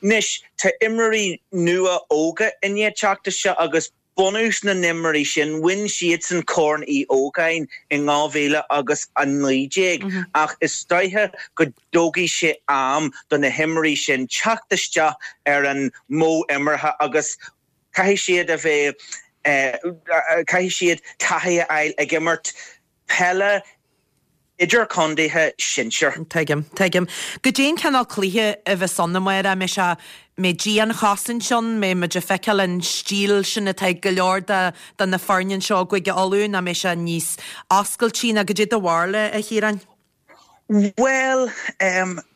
Anois tá imreoirí nua óga i ndiaidh teacht isteach agus Bunús na n-imreoirí sin, bhain siadsan Corn Uí Ógáin in 2019 ach is dóiche go dtógfaidh sé am do na himreoirí sin teacht isteach ar an modh imeartha agus caithfidh siad a bheith, caithfidh siad taithí a fháil ag imirt peile idirchontaetha sinsir. Tuigim, tuigim. Goidé an cineál cluiche a bheas ann amárach, an mbeidh sé, mbeidh dianchosaint ann, mbeidh muid ag feiceáil an stíl sin atá ag go leor de, de na foirne anseo i gCúige Uladh, nó mbeidh sé níos oscailtí, nó goidé do bharúil, a Chiaráin? Bhuel,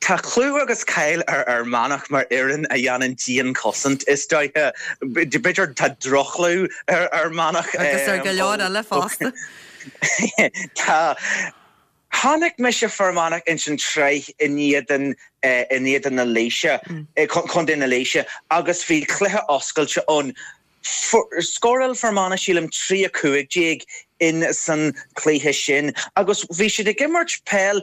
tá clú agus cáil ar Fhear Manach mar fhoireann a dhéanann dianchosaint, is dóiche. B'fhéidir tá drochchlú ar Fhear Manach. Agus ar go leor eile fosta. Tá. Chonaic mise Fear Manach ins an tsraith in éadan in éadan na Laoise, Contae na Laoise, agus bhí cluiche oscailte ann. Scóráil Fear Manach, sílim, 3 15 in san chluiche sin agus bhí siad ag imirt peil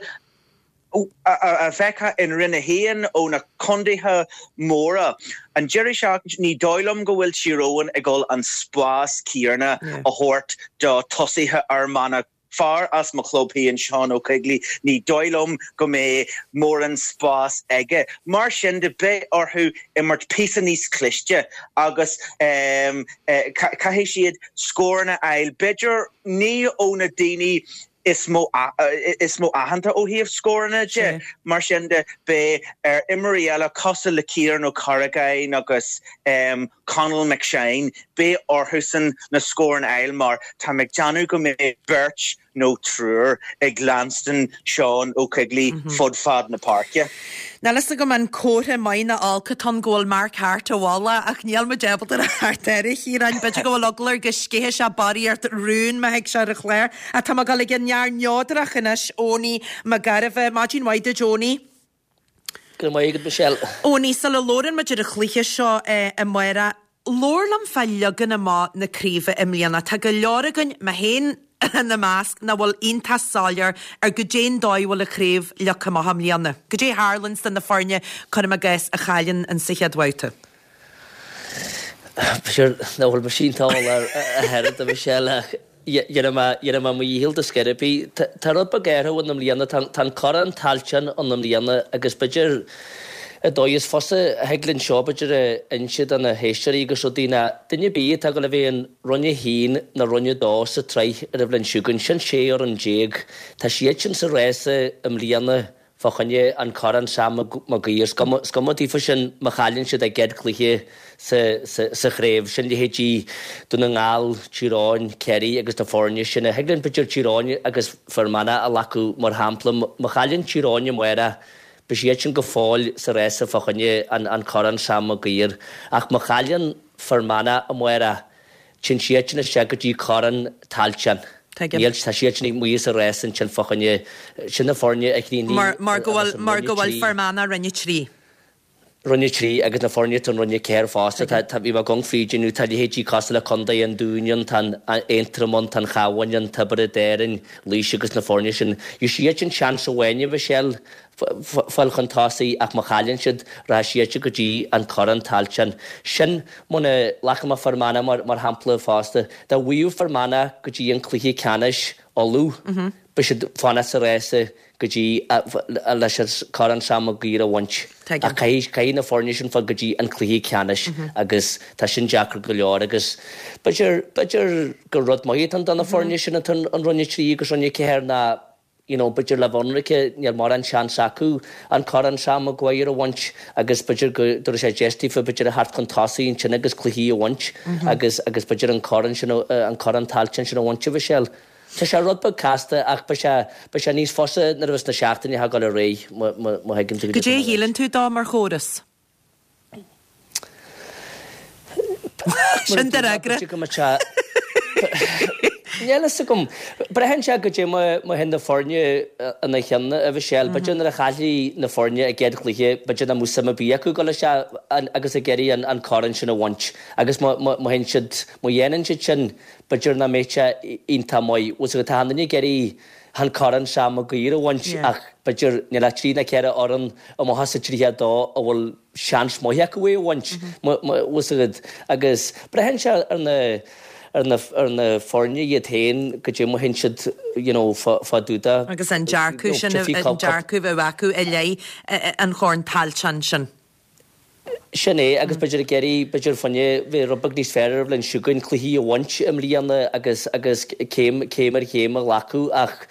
a bhfeicfeá in Roinn 1 ó na contaetha móra. An deireadh seachtaine, ní dóigh liom go bhfuil Tír Eoghain ag dul an spás céanna a thabhairt do tosaithe Fhear Manach. Fear as mo chlub féin, Seán Ó Coigligh, ní dóigh liom go mbeidh mórán spás aige. Mar sin de, beidh orthu imirt píosa níos cliste agus caithfidh siad scóranna a fháil, b'fhéidir ní ó na daoine is mó is mó aitheanta ó thaobh scóranna de. Mar sin de, beidh ar imreoirí eile cosúil le Ciarán Ó Carragáin agus Conall McShane, beidh orthusan na scóranna a fháil mar tá mé ag déanamh go mbeidh beirt nó triúr ag leanstan Seán Ó Coigligh fud fad na páirce. Níl fhios agam an comhartha maith nó olc atá ann go bhfuil Mark Harte i bhfolach ach níl muid ábalta a theacht air, a Chiaráin. B'fhéidir go bhfuil eagla air go sceithfidh sé barraíocht rún má thig sé ar an chlár. Ach tá mé ag dul ag an fhear neodrach anois, Owenie Mac Gairbheith. Maidin mhaith duit, Owenie. Go raibh maith agat, Michelle. Owenie, sula labhrann muid ar an chluiche seo amárach, labhair liom fá leagan amach na craoibhe i mbliana. Tá go leor againn, mé féin ina measc, nach bhfuil iontach soiléir ar goidé an dóigh a bhfuil an chraobh leagtha amach i mbliana. Goidé a tharlaíonns do na foirne, cuirim i gcás, a chailleann in sa chéad bhabhta. B'fhéidir nach bhfuil mise iontach eolach ach oiread, a Michelle, ach dhéanfaidh mé, dhéanfaidh mé mo dhícheall do scor ar bith. Tá rud beag athrú ann i mbliana, tá an corn tailteann ann i mbliana agus b'fhéidir. Ar dóigh is fusa a thig linn seo b'fhéidir a inse do na héisteoirí agus rudaí ná duine ar bith atá ag dul a bheith in Roinn 1 nó Roinn 2 sa tsraith ar an bhliain seo chugainn, sin 16 fhoireann. Tá siad sin sa rása i mbliana fá choinne an Corn Sam Maguire. Is cuma, is cuma daofa sin má chailleann siad a gcéad chluiche sa, sa, sa chraobh. Sin leithéidí Dún na nGall, Tír Eoghain, Ciarraí agus na foirne sin. Thig linn b'fhéidir Tír Eoghain agus Fear Manach a ghlacadh mar shampla. Má chailleann Tír Eoghain amárach, beidh siad sin go fóill sa rása fá choinne an, an Corn Sam Maguire. Ach má chailleann Fear Manach amárach, Téann siad sin isteach go dtí Corn Tailteann. Tuigim. Níl, tá siad sin amuigh sa rás ansin fá choinne, sin na foirne a chríochnaíonn Mar, mar go bhfuil, mar go bhfuil 3. Fear Manach Roinn 3. Roinn 3 agus na foirne atá in Roinn 4 fosta. Tá, tá, bhí mé ag gabháil fríd inniu, tá leithéidí cosúil le Contae an Dúin ann, tá an Aontroim ann, tá an Chabháin ann, Tiobraid Árann, Laois agus na foirne sin. Gheobhaidh siad sin seans amháin, a Mhichelle, fáil chun tosaigh ach má chailleann siad, rachaidh siad sin go dtí an Corn Tailteann. Sin muna nglacann mé Fear Manach mar shampla fosta. Dá bhuafadh Fear Manach go dtí an cluiche ceannais Uladh, beidh siad fanacht sa rása go dtí leis an Corn Sam Maguire a bhaint. Ach caithfidh caithfidh na foirne sin fáil go dtí an cluiche ceannais agus tá sin deacair go leor agus b'fhéidir b'fhéidir gur rud maith atá ann do na foirne sin atá in Roinn 3 agus Roinn 4 ná you know, b'fhéidir le bheith ionraice, níl mórán seans acu an Corn Sam Maguire a bhaint agus b'fhéidir go dtabharfaidh sé deis daofa b'fhéidir a theacht chun tosaigh ansin agus cluichí a bhaint agus, agus b'fhéidir an corn sin, an Corn Tailteann sin a bhaint, a Mhichelle. Tá sé rud beag casta ach beidh sé, beidh sé níos fusa nuair a bheas na seachtainí ag dul ar aghaidh, má, má, má thuigeann tú Goidé a shíleann tú dó mar chóras? Sin do fhreagra. Níl fhios agam. Braitheann sé goidé mar a théann na foirne ina chionn, a Mhichelle. B'fhéidir nuair a chaillfidh na foirne a gcéad chluiche, b'fhéidir nach mbeadh suim ar bith acu dul isteach agus ag iarraidh an corn sin a bhaint. Agus má théann siad, má dhéanann siad sin, b'fhéidir nach mbeidh sé iontach maith. Bhfuil 's agat, tá an duine ag iarraidh an Corn Sam Maguire a bhaint ach b'fhéidir níl ach 3 nó 4 fhoireann amach as an 32 a bhfuil seans maith acu é a bhaint, bhfuil 's agat. Agus braitheann sé ar na ar na ar na foirne iad féin goidé mar a théann siad you know fá fá dtaobh de. Agus an dearcadh sin, an dearcadh a bheadh acu i leith an Chorn Tailteann sin. Sin é, agus b'fhéidir ag iarraidh, b'fhéidir fá choinne bheith rud beag níos fearr ar an bhliain seo chugainn, cluichí a bhaint i mbliana agus, agus céim, céim ar chéim a ghlacadh ach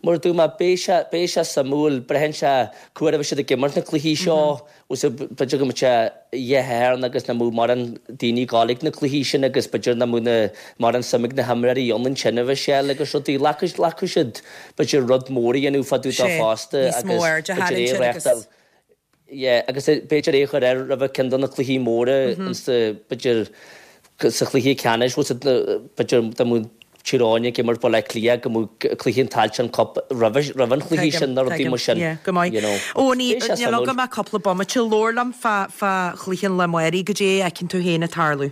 mar a dúirt mé, beidh sé, beidh sé suimiúil, braitheann sé cá huair a bheidh siad ag imirt na cluichí seo, b'fhéidir go mbeadh sé Dé Sathairn agus nach mbeadh mórán daoine ag gabháil ag na cluichí sin agus b'fhéidir nach mbeadh na, mórán suim ag na himreoirí ann ansin a Mhichelle agus rudaí, ghlacfadh, ghlacfadh siad b'fhéidir rud mór a dhéanamh fá dtaobh dó fosta níos mó agus aird a b'fhéidir tharraingt é a air agus. reáchtáil. Yeah, agus b'fhéidir é a chur air roimhe ceann de na cluichí móra insa, b'fhéidir, sa chluiche ceannais, bhfuil 's agat, b'fhéidir dá mbeadh Tír Eoghain ag imirt Baile Átha Cliath go mbeadh cluiche an Tailteann Cup roimhe, roimh an chluiche Tuigim, sin nó rudaí tuigim, mar sin, yeah, go maith. you know. Ó, ní, Beidh sé níl suimiúil. agam ach cúpla bomaite, labhair liom fá, fá chluiche an lae amáirigh, goidé a fheiceann tú féin ag tarlú.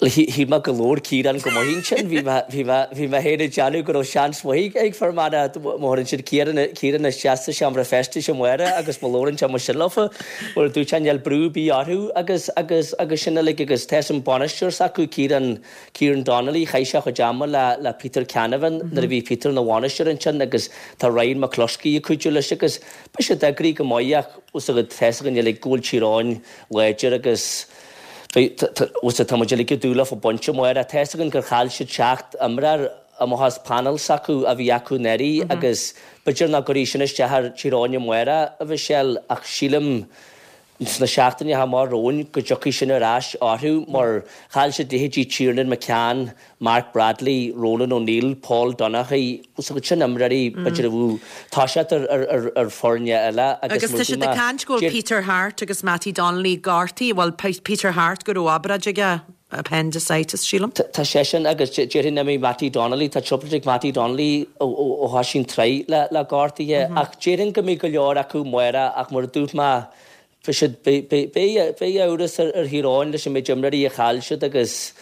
Shíl mé gur labhair Ciarán go maith ansin. Bhí mé, bhí mé, bhí mé féin ag déanamh go raibh seans maith ag Fear Manach má chuireann siad Ciarán, Ciarán isteach sa seomra feistis amárach agus má labhrann sé mar sin leofa, mar a dúirt sé, níl brú ar bith orthu agus, agus, agus sin uilig agus tá an bainisteoir s'acu, Ciarán, Ciarán Donnelly, chaith sé a chuid ama le, le Peter Canavan nuair a bhí Peter ina bhainisteoir ansin agus tá Ryan McCluskey ag cuidiú leis agus beidh siad eagraithe go maith ach, bhfuil 's agat, tá 'fhios againn uilig go bhfuil Tír Eoghain láidir agus tá muid uilig ag dúil leofa a bhaint amárach. Tá 'fhios againn gur chaill siad seacht imreoir amach as panel s'acu a bhí acu anuraidh agus b'fhéidir nach gcuirfidh sin isteach ar Tír Eoghain amárach, a Mhichelle, ach sílim sna seachtainí amach romhainn go dtiocfaidh sin ar ais orthu mar chaill siad leithéidí Tiernan McCann, Mark Bradley, Ronan O'Neill, Paul Donaghy, sin imreoirí b'fhéidir a bheadh toiseacht ar foirne eile agus Agus tá siad ag caint go bhfuil Peter Harte agus Mattie Donnelly gortaithe, bhuel Peter Harte go raibh obráid aige, appendicitis sílim. Tá seisean agus déarfainn go mbeidh Mattie Donnelly, tá trioblóid ag Mattie Donnelly ó thosaigh an tsraith le gortuithe ach déarfainn go mbeidh go leor acu amárach ach mar a dúirt mé Bhí siad, beidh amhras ar Thír Eoghain leis an méid imreoirí a chaill siad agus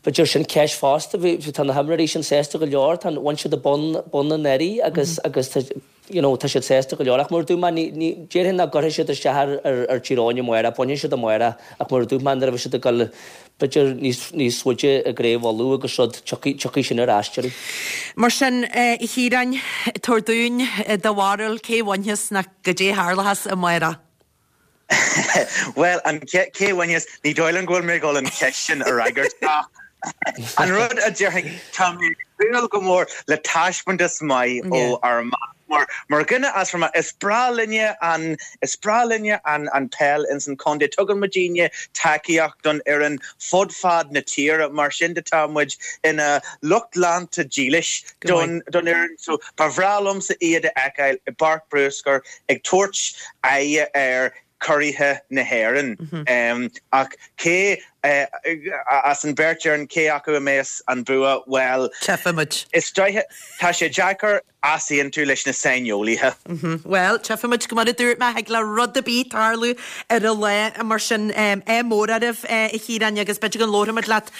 b'fhéidir sin ceist fosta. Bhí, tá na himreoirí sin sásta go leor, tá, bhain siad a bonn, bonn anuraidh agus, agus tá, you know, tá siad sásta go leor. Ach mar a dúirt mé, ní, ní, déarfainn nach gcuirfidh siad isteach ar, ar, ar Tír Eoghain amárach, bainfidh siad amárach, ach mar a dúirt mé, nuair a bheidh siad ag dul, b'fhéidir, níos, níos faide i gCraobh Uladh agus rud, tiocfaidh, tiocfaidh sin ar ais orthu. Mar sin, a Chiaráin, tabhair dúinn do bharúil, cé bhainfeas nó goidé tharlóchas amárach? Bhuel, an cé a bhainfeas, ní dóigh liom go bhfuil mé ag dul an cheist sin a fhreagairt ach an rud a déarfainn, tá mé ag súil go mór le taispeántas maith ó Fhear Manach mar mar dhuine as Fear Manach, is breá linne an is breá linne an an peil ins an chontae. Tugann muidinne tacaíocht don fhoireann fud fad na tíre, mar sin de tá muid ina lucht leanta dílis don don fhoireann so ba bhreá liomsa iad a fheiceáil i bPáirc Bruscair ag tabhairt aghaidh ar churaithe na hÉireann. Ach cé as an bheirt fhoireann, cé acu a mbeas an bua? Bhuel, Tchífimid. is dóiche, tá sé deacair easaontú leis na saineolaithe. Bhuel, tchífimid, mar a dúirt mé, thig le rud ar bith tarlú ar an lá, mar sin, ádh mór oraibh, a Chiaráin, agus b'fhéidir go labharfaimid leat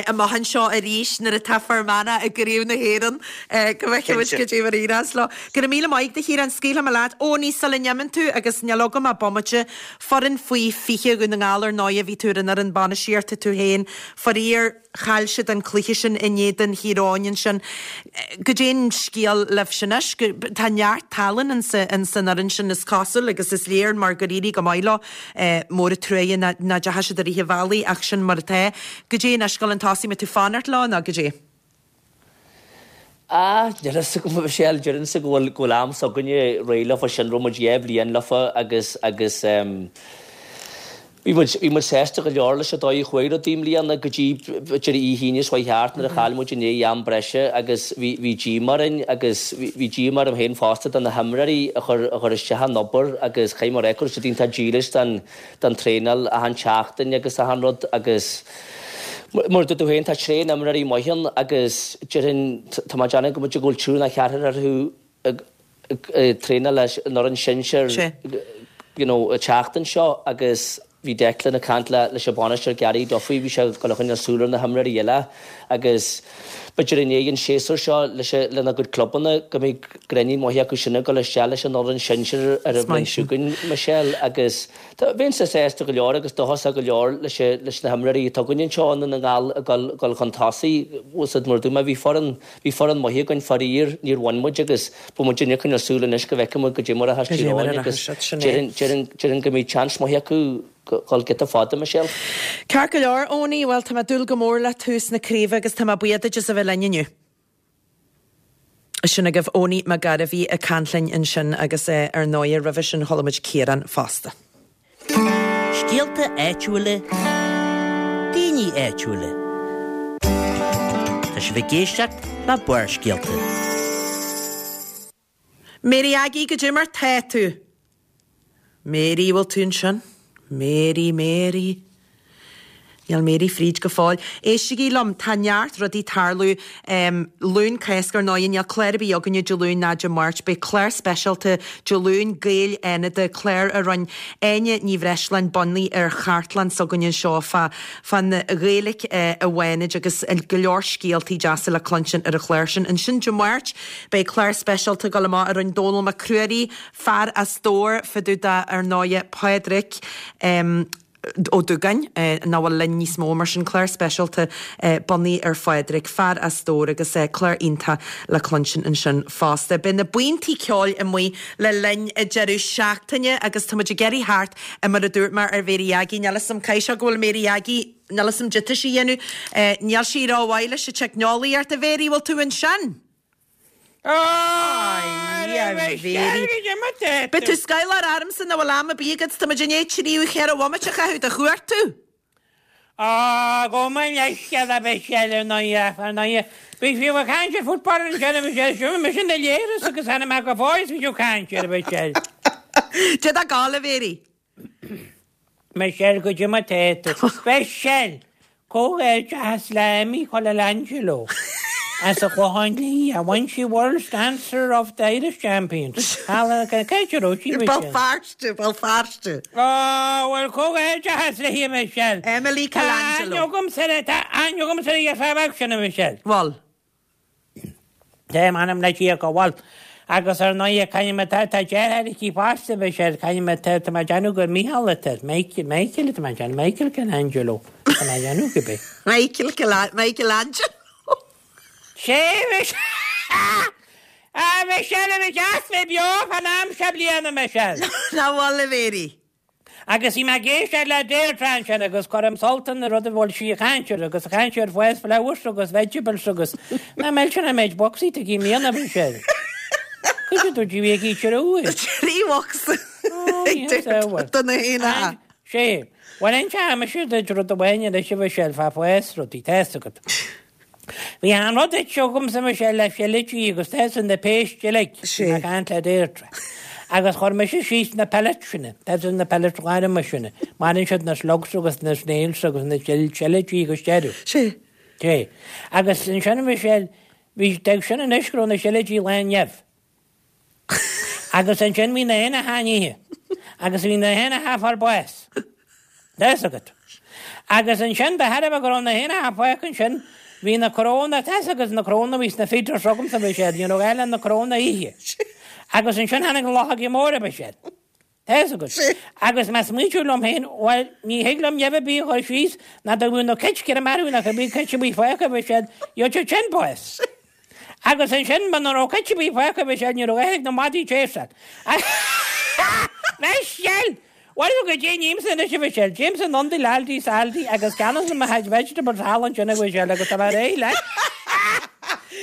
amach anseo arís nuair atá Fear Manach i gCraobh na hÉireann, go bhfeicfimid cad é mar a éireos leo. Go raibh míle maith agat, a Chiaráin, scaoilfidh mé leat. Owenie, sula n-imíonn tú, agus níl agam ach bomaite, foireann faoi 20 Dhún na nGall ar ndóighe, bhí tú ar an fhoireann bainistíochta tú féin, faraor, chaill siad an cluiche sin in éadan Thír Eoghain ansin. Goidé an scéal libhse anois? Tá neart tallann insa insan fhoireann sin is cosúil agus is léir mar gur éirigh go maith leo. Mór an truaighe nach ndeachaigh siad i rith an bhealaigh ach sin mar atá. Goidé anois, gabháil chun tosaigh, mbeidh tú fanacht leo nó goidé? Ah, níl a fhios agam, a Mhichelle, deirimse go bhfuil, go bhfuil am s'againne réidh leofa sin, raibh muid dhéa bhliain leofa agus, agus ehm, bhí muid, bhí muid sásta go leor leis an dóigh a chuaigh rudaí i mbliana go dtí b'fhéidir oíche Aoine seo chuaigh thart nuair a chaill muid i ndiaidh am breise agus bhí, bhí díomá orainn agus bhí, bhí díomá orm féin fosta do na himreoirí a chuir, a chuir isteach an obair agus chaith mé a rá go raibh siad iontach dílis don, don traenáil achan tseachtain agus achan rud agus mar a dúirt tú féin tá tréan imreoirí maithe ann agus déarfainn tá mé ag déanamh go mb'fhéidir go bhfuil triúr nó ceathrar orthu ag traenáil leis an fhoireann sinsir you know an tseachtain seo agus bhí Declan ag caint le leis an bhainisteoir Gary Duffy bhí sé ag dul a choinneáil súil ar na himreoirí eile agus b'fhéidir i ndiaidh an séasúr seo leis lena gcuid clubanna go mbeidh gráinnín maith acu sin ag dul isteach leis an fhoireann sinsir ar an bhliain seo chugainn, Michelle, agus tá, bheinnse sásta go leor agus dóchasach go leor leis leis na himreoirí atá againn anseo i nDún na nGall ag dul dul chun tosaigh. Bhfuil 's agat mar a dúirt mé, bhí foireann, bhí foireann maith againn faraor, níor bhain muid agus beidh muid ag coinneáil súil anois go bhfeicfidh muid goidé mar a rachas Tír Eoghain agus déarfainn, déarfainn, déarfainn go mbeidh seans maith acu dhul giota fada, Michelle. Ceart go leor, Owenie, bhuel tá mé ag dúil go mór le tús na craoibhe agus tá mé buíoch duit as a bheith linn inniu. Sin agaibh Owenie Mac Gairbhí ag caint linn ansin agus ar ndóighe roimhe sin chuala muid Ciarán fosta. Scéalta áitiúla, daoine áitiúla. Tá sibh ag éisteacht le Barrscéalta. Mary Aggie, goidé mar tá tú? Mary, bhfuil tú ansin? Mary, Mary. Níl Mary fríd go fóill. Éistigí liom, tá neart rudaí tarlú. Luan Cásca ar ndóighe, níl clár ar bith againne Dé Luain ná Dé Máirt. Beidh clár speisialta Dé Luain, Gaeil Fhánada, clár a rinne Áine Ní Bhreisleáin bunaithe ar chartlann s'againne anseo fá fán Ghaeilic i bhFánaid agus go leor scéaltaí deasa le cluinstin ar an chlár sin. Ansin Dé Máirt, Beidh clár speisialta ag dul amach a rinne Dónall Mac Ruairí, fear as Dobhar, fá dtaobh de ar ndóighe, Pádraig Ó Dúgáin, nach bhfuil linn níos mó, mar sin clár speisialta bunaithe ar Phádraig, fear as Dobhar agus clár iontach le cluinstin ansin fosta. Beidh na buíontaí ceoil amuigh le linn an deireadh seachtaine agus tá muid ag iarraidh theacht mar a dúirt mé ar Mhéirí Aggie, níl 'fhios a'm, caithfidh sé go bhfuil Mary Aggie, níl 'fhios a'm caidé atá sí a dhéanamh, níl sí rómhaith leis an teicneolaíocht. A Mhéirí, bhfuil tú ansin? A Mhéirí. Beidh tú scamhla ormsa nach bhfuil am ar bith agat, tá muid i ndiaidh tríú cheithre bhomaite a chaitheamh do chuartú. Á, gabh mo leithscéal a Mhichelle, ar ndóighe, ar ndóighe. Bhí sibh ag caint ar football ansin a Mhichelle, sin mise na léireas agus ainm go fóill is bhí sibh ag caint air a Mhichelle. Dé do gal, a Mhéirí. Michelle, goidé mar tá tú. Michelle, Comhghairdeachas le Amy Colangelo as an Chlochán Liath. Bhain sí World's Dancer of the Irish Champions. Cá háit a raibh sí, Michelle? Béal Feirste, Béal Feirste. Ó, bhuel, comhghairdeachas léi, Michelle. Emily Colangelo. Tá aithne agamsa ar, tá aithne agamsa ar an ghirseach bheag sin, a Michelle. Bhfuil? Dé m'anam le Dia go bhfuil. Agus ar ndóighe, c'ainm atá, tá deartháir aici fosta, a Mhichelle, c'ainm atá, tá mé ag déanamh gur Mícheál atá air, Michael, Michael atá mé ag déanamh, Michael Colangelo, tá mé ag déanamh go bé. Michael Colan, Michelangelo. Sé, Michelle, ah, Michelle, a bhí deas bheith beo fán am seo bliana, Michelle. Nach bhfuil, a Mhéirí? Agus bhí mé ag éisteacht le Deirdre ansin agus cuirim sult an rud a bhfuil sí ag caint air agus ag caint ar fás flowers agus vegetables agus nach mbeidh sin an méid bocsaí atá aici i mbliana bhí sé. Cuid de dúirt bhí aici trú. Trí bhocsa ag Deirdre do na héanacha. Sé, bhuel inse mise duit rud amháin anois a Mhichelle fá fás rudaí, tá fhios agat. Bhí an rud ite agamsa Michelle le seilidí agus tá san na péist uilig bhí mé ag caint le Deirdre. Agus chuir mise síos na pellets sin, tá san na pellets ghorma sin, maraíonn siad na slugs agus na snails agus na seilidí agus deireadh. Sé. Sé. Agus ansin Michelle, bhí, d'fhág sin anois go raibh na seilidí lán nimh. Agus ansin bhí na héanacha á n-ithe. Agus bhí na héanacha ag fáil bás. Tá fhios agat. Agus ansin de thairbhe go raibh na héanacha fágtha ansin, bhí na crónna, tá fhios agat, na crónna a bhí sna feeders agamsa, bhí siad, you know, eile na crónna a ithe. Agus ansin tháinig na luchógaí móra, bhí siad. Tá fhios agat. Agus mé ag smaointiú liom féin, bhuel, ní thig liom nimh ar bith a chur síos, ná dá bhfuil na cait ar marú nach ar bith cait ar bith fágtha, bhí siad, gheobhaidh siad sin bás. Agus ansin, muna raibh cait ar bith fágtha, bhí siad, ní raibh a dhath ag na madaí téasáil. Michelle! Bhuel, go dté James anois a Mhichelle. James anonn go Aldi 's Aldi agus ceannaím mo chuid vegetables thall ansin a Mhichelle agus tá mé réidh leis.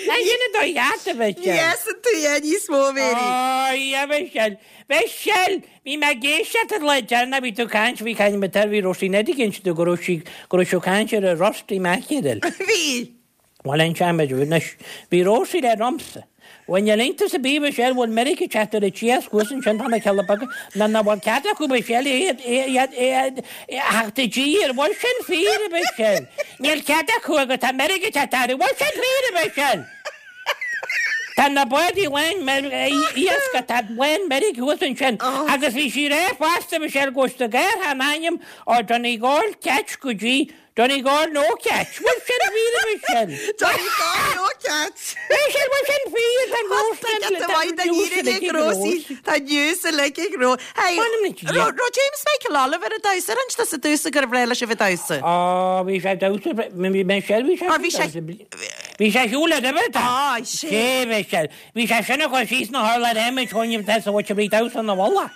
Ná dhéana do cheart a Mhichelle. Yes, an tú é níos mó, a Mhéirí. Ó, a Mhichelle. Michelle, Bhí mé ag éisteacht an lá deireanach bhí tú ag caint, bhí caint mé bhí Róisín Ned ag inse go raibh sí, go raibh sí ag caint ar an rusty mackerel. Bhí. Bhuel inseoidh mé duit anois, bhí Róisín ar liomsa. Bhuel níl iontas ar bith Michelle bhfuil Meiriceá ag teacht ar an t-iasc thuas ansin fá na Cealla Beaga, ná nach bhfuil cead acu Michelle iad, iad, iad, theacht i dtír, bhfuil sin fíor a Mhichelle? Níl cead acu agus tá Meiriceá ag teacht orthu, bhfuil sin fíor a Mhichelle? Tá na bádaí lán iasc atá lán meirg thuas ansin agus bhí sí ag rá fosta Michelle go bhfuil siad ag athrú an ainm ó Donegal Catch go dtí Donegal No Catch. Bhfuil sin fíor a Mhichelle? Donegal No Catch. Michelle bhfuil sin fíor tá news uilig ag Róisín. Tá news uilig ag Ró. Hey, raibh James Michael Oliver ag damhsa ar inis tusa domhsa gur bhreá leis a bheith ag damhsa. Ó bhí sé ag damhsa Michelle bhí sé ag damhsa. Bhí sé siúl le duine atá. Á, sé. Sé, bhí sé. Bhí sé sin a chur síos na hurláir adhmaid chugainn tá sa bhfuil sé damhsa ina mhullach.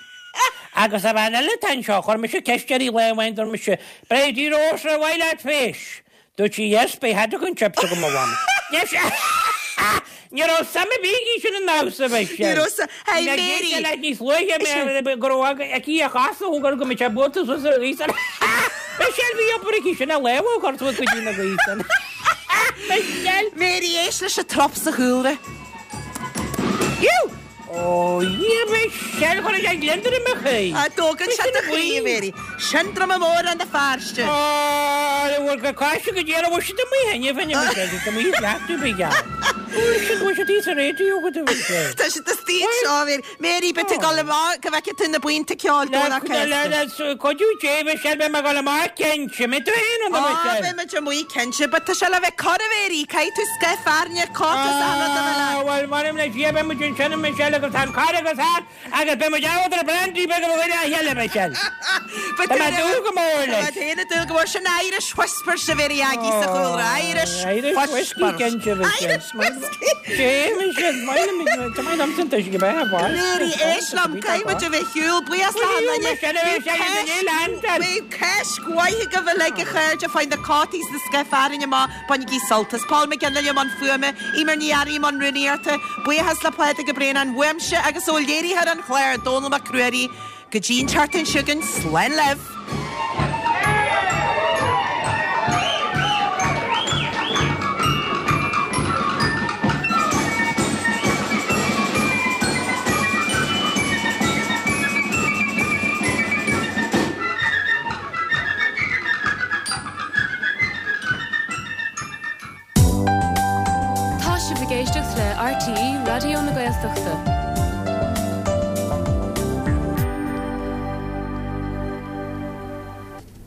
Agus a bhean eile atá anseo, chuir mise ceist uirthi lá amháin, dúirt mise, Bridie Rose, ar mhaith leat fish? Dúirt sí, Yes, beidh haddock and chips agam a mham. Ní raibh suim ar bith aici sin i ndamhsa, bhí sé. Ní raibh suim. Hey, Bhí mé ag Mary. éisteacht leat níos luaithe, mé go raibh aici a chás a thógáil go mbeadh sé buailte suas ar a ghaoth. Michelle, bhí obair aici sin a lámha a chur suas go dtí na gaoth. Michelle! Mary, éist leis an trup sa chúlra. Iú! Ó, a Mhichelle, chuir sé gliondar i mo chroí. Á, tógann sé do chroí, a Mary. Sin druma mór Rann na Feirste. Ó, bhfuil go cáiste go deireadh, bhfuil siad amuigh inniu, inniu, Michelle, siad amuigh ag cleachtadh, bí geall. Bhfuil siad, bhfuil siad thíos ar raidió go dtí, Michelle. Tá siad istigh anseo, a Mary. Mary, beidh tú ag dul amach go bhfeicfidh tú na buíonta ceoil Domhnach Cásca. Le cuidiú Dé, Michelle, beidh mé ag dul amach cinnte. Mbeidh tú féin ann, a Á, Mhichelle? beidh muid amuigh cinnte, but tá sé le bheith corr, a Mary, caithfidh tú scoth fearthainne, cóta is achan rud a bheith leat. Á, bhuel, m'anam le Dia, beidh muid ansin, a Mhichelle, agus tá an carr agus thart agus beidh muid ábalta brandy beag a bheith le chéile, Michelle. But Tá mé ag dúil go mór Tá leis. mé féin ag dúil go mór. Sin Irish Whispers a Mhéirí Aggie sa chúlra. Irish Irish whiskey cinnte, Michelle. Irish whiskey. Sé, Michelle, maith liom, tá maith liomsa an t-uisce beatha, bhuel. Mary, éist liom, caithfidh muid a bheith ar shiúl, buíochas le Bhuel, hAnna. Michelle, a bheidh sé ag an Fhéile Antain. Beidh Cáisc mhaith agaibh uilig a chairde, faigh na cótaí is na scoth fearthainne amach, bainigí sult as. Paul McGinley i mbun fuaime, Eimear Ní Fhearraigh i mbun rúnaíochta, buíochas le Pádraig Ó Braonáin uaimse agus ó léiritheoir an chláir, Dónall Mac Ruairí. Go dtí an tseachtain seo chugainn, slán libh! Tá sibh ag éisteacht le RTÉ Raidió na Gaeltachta.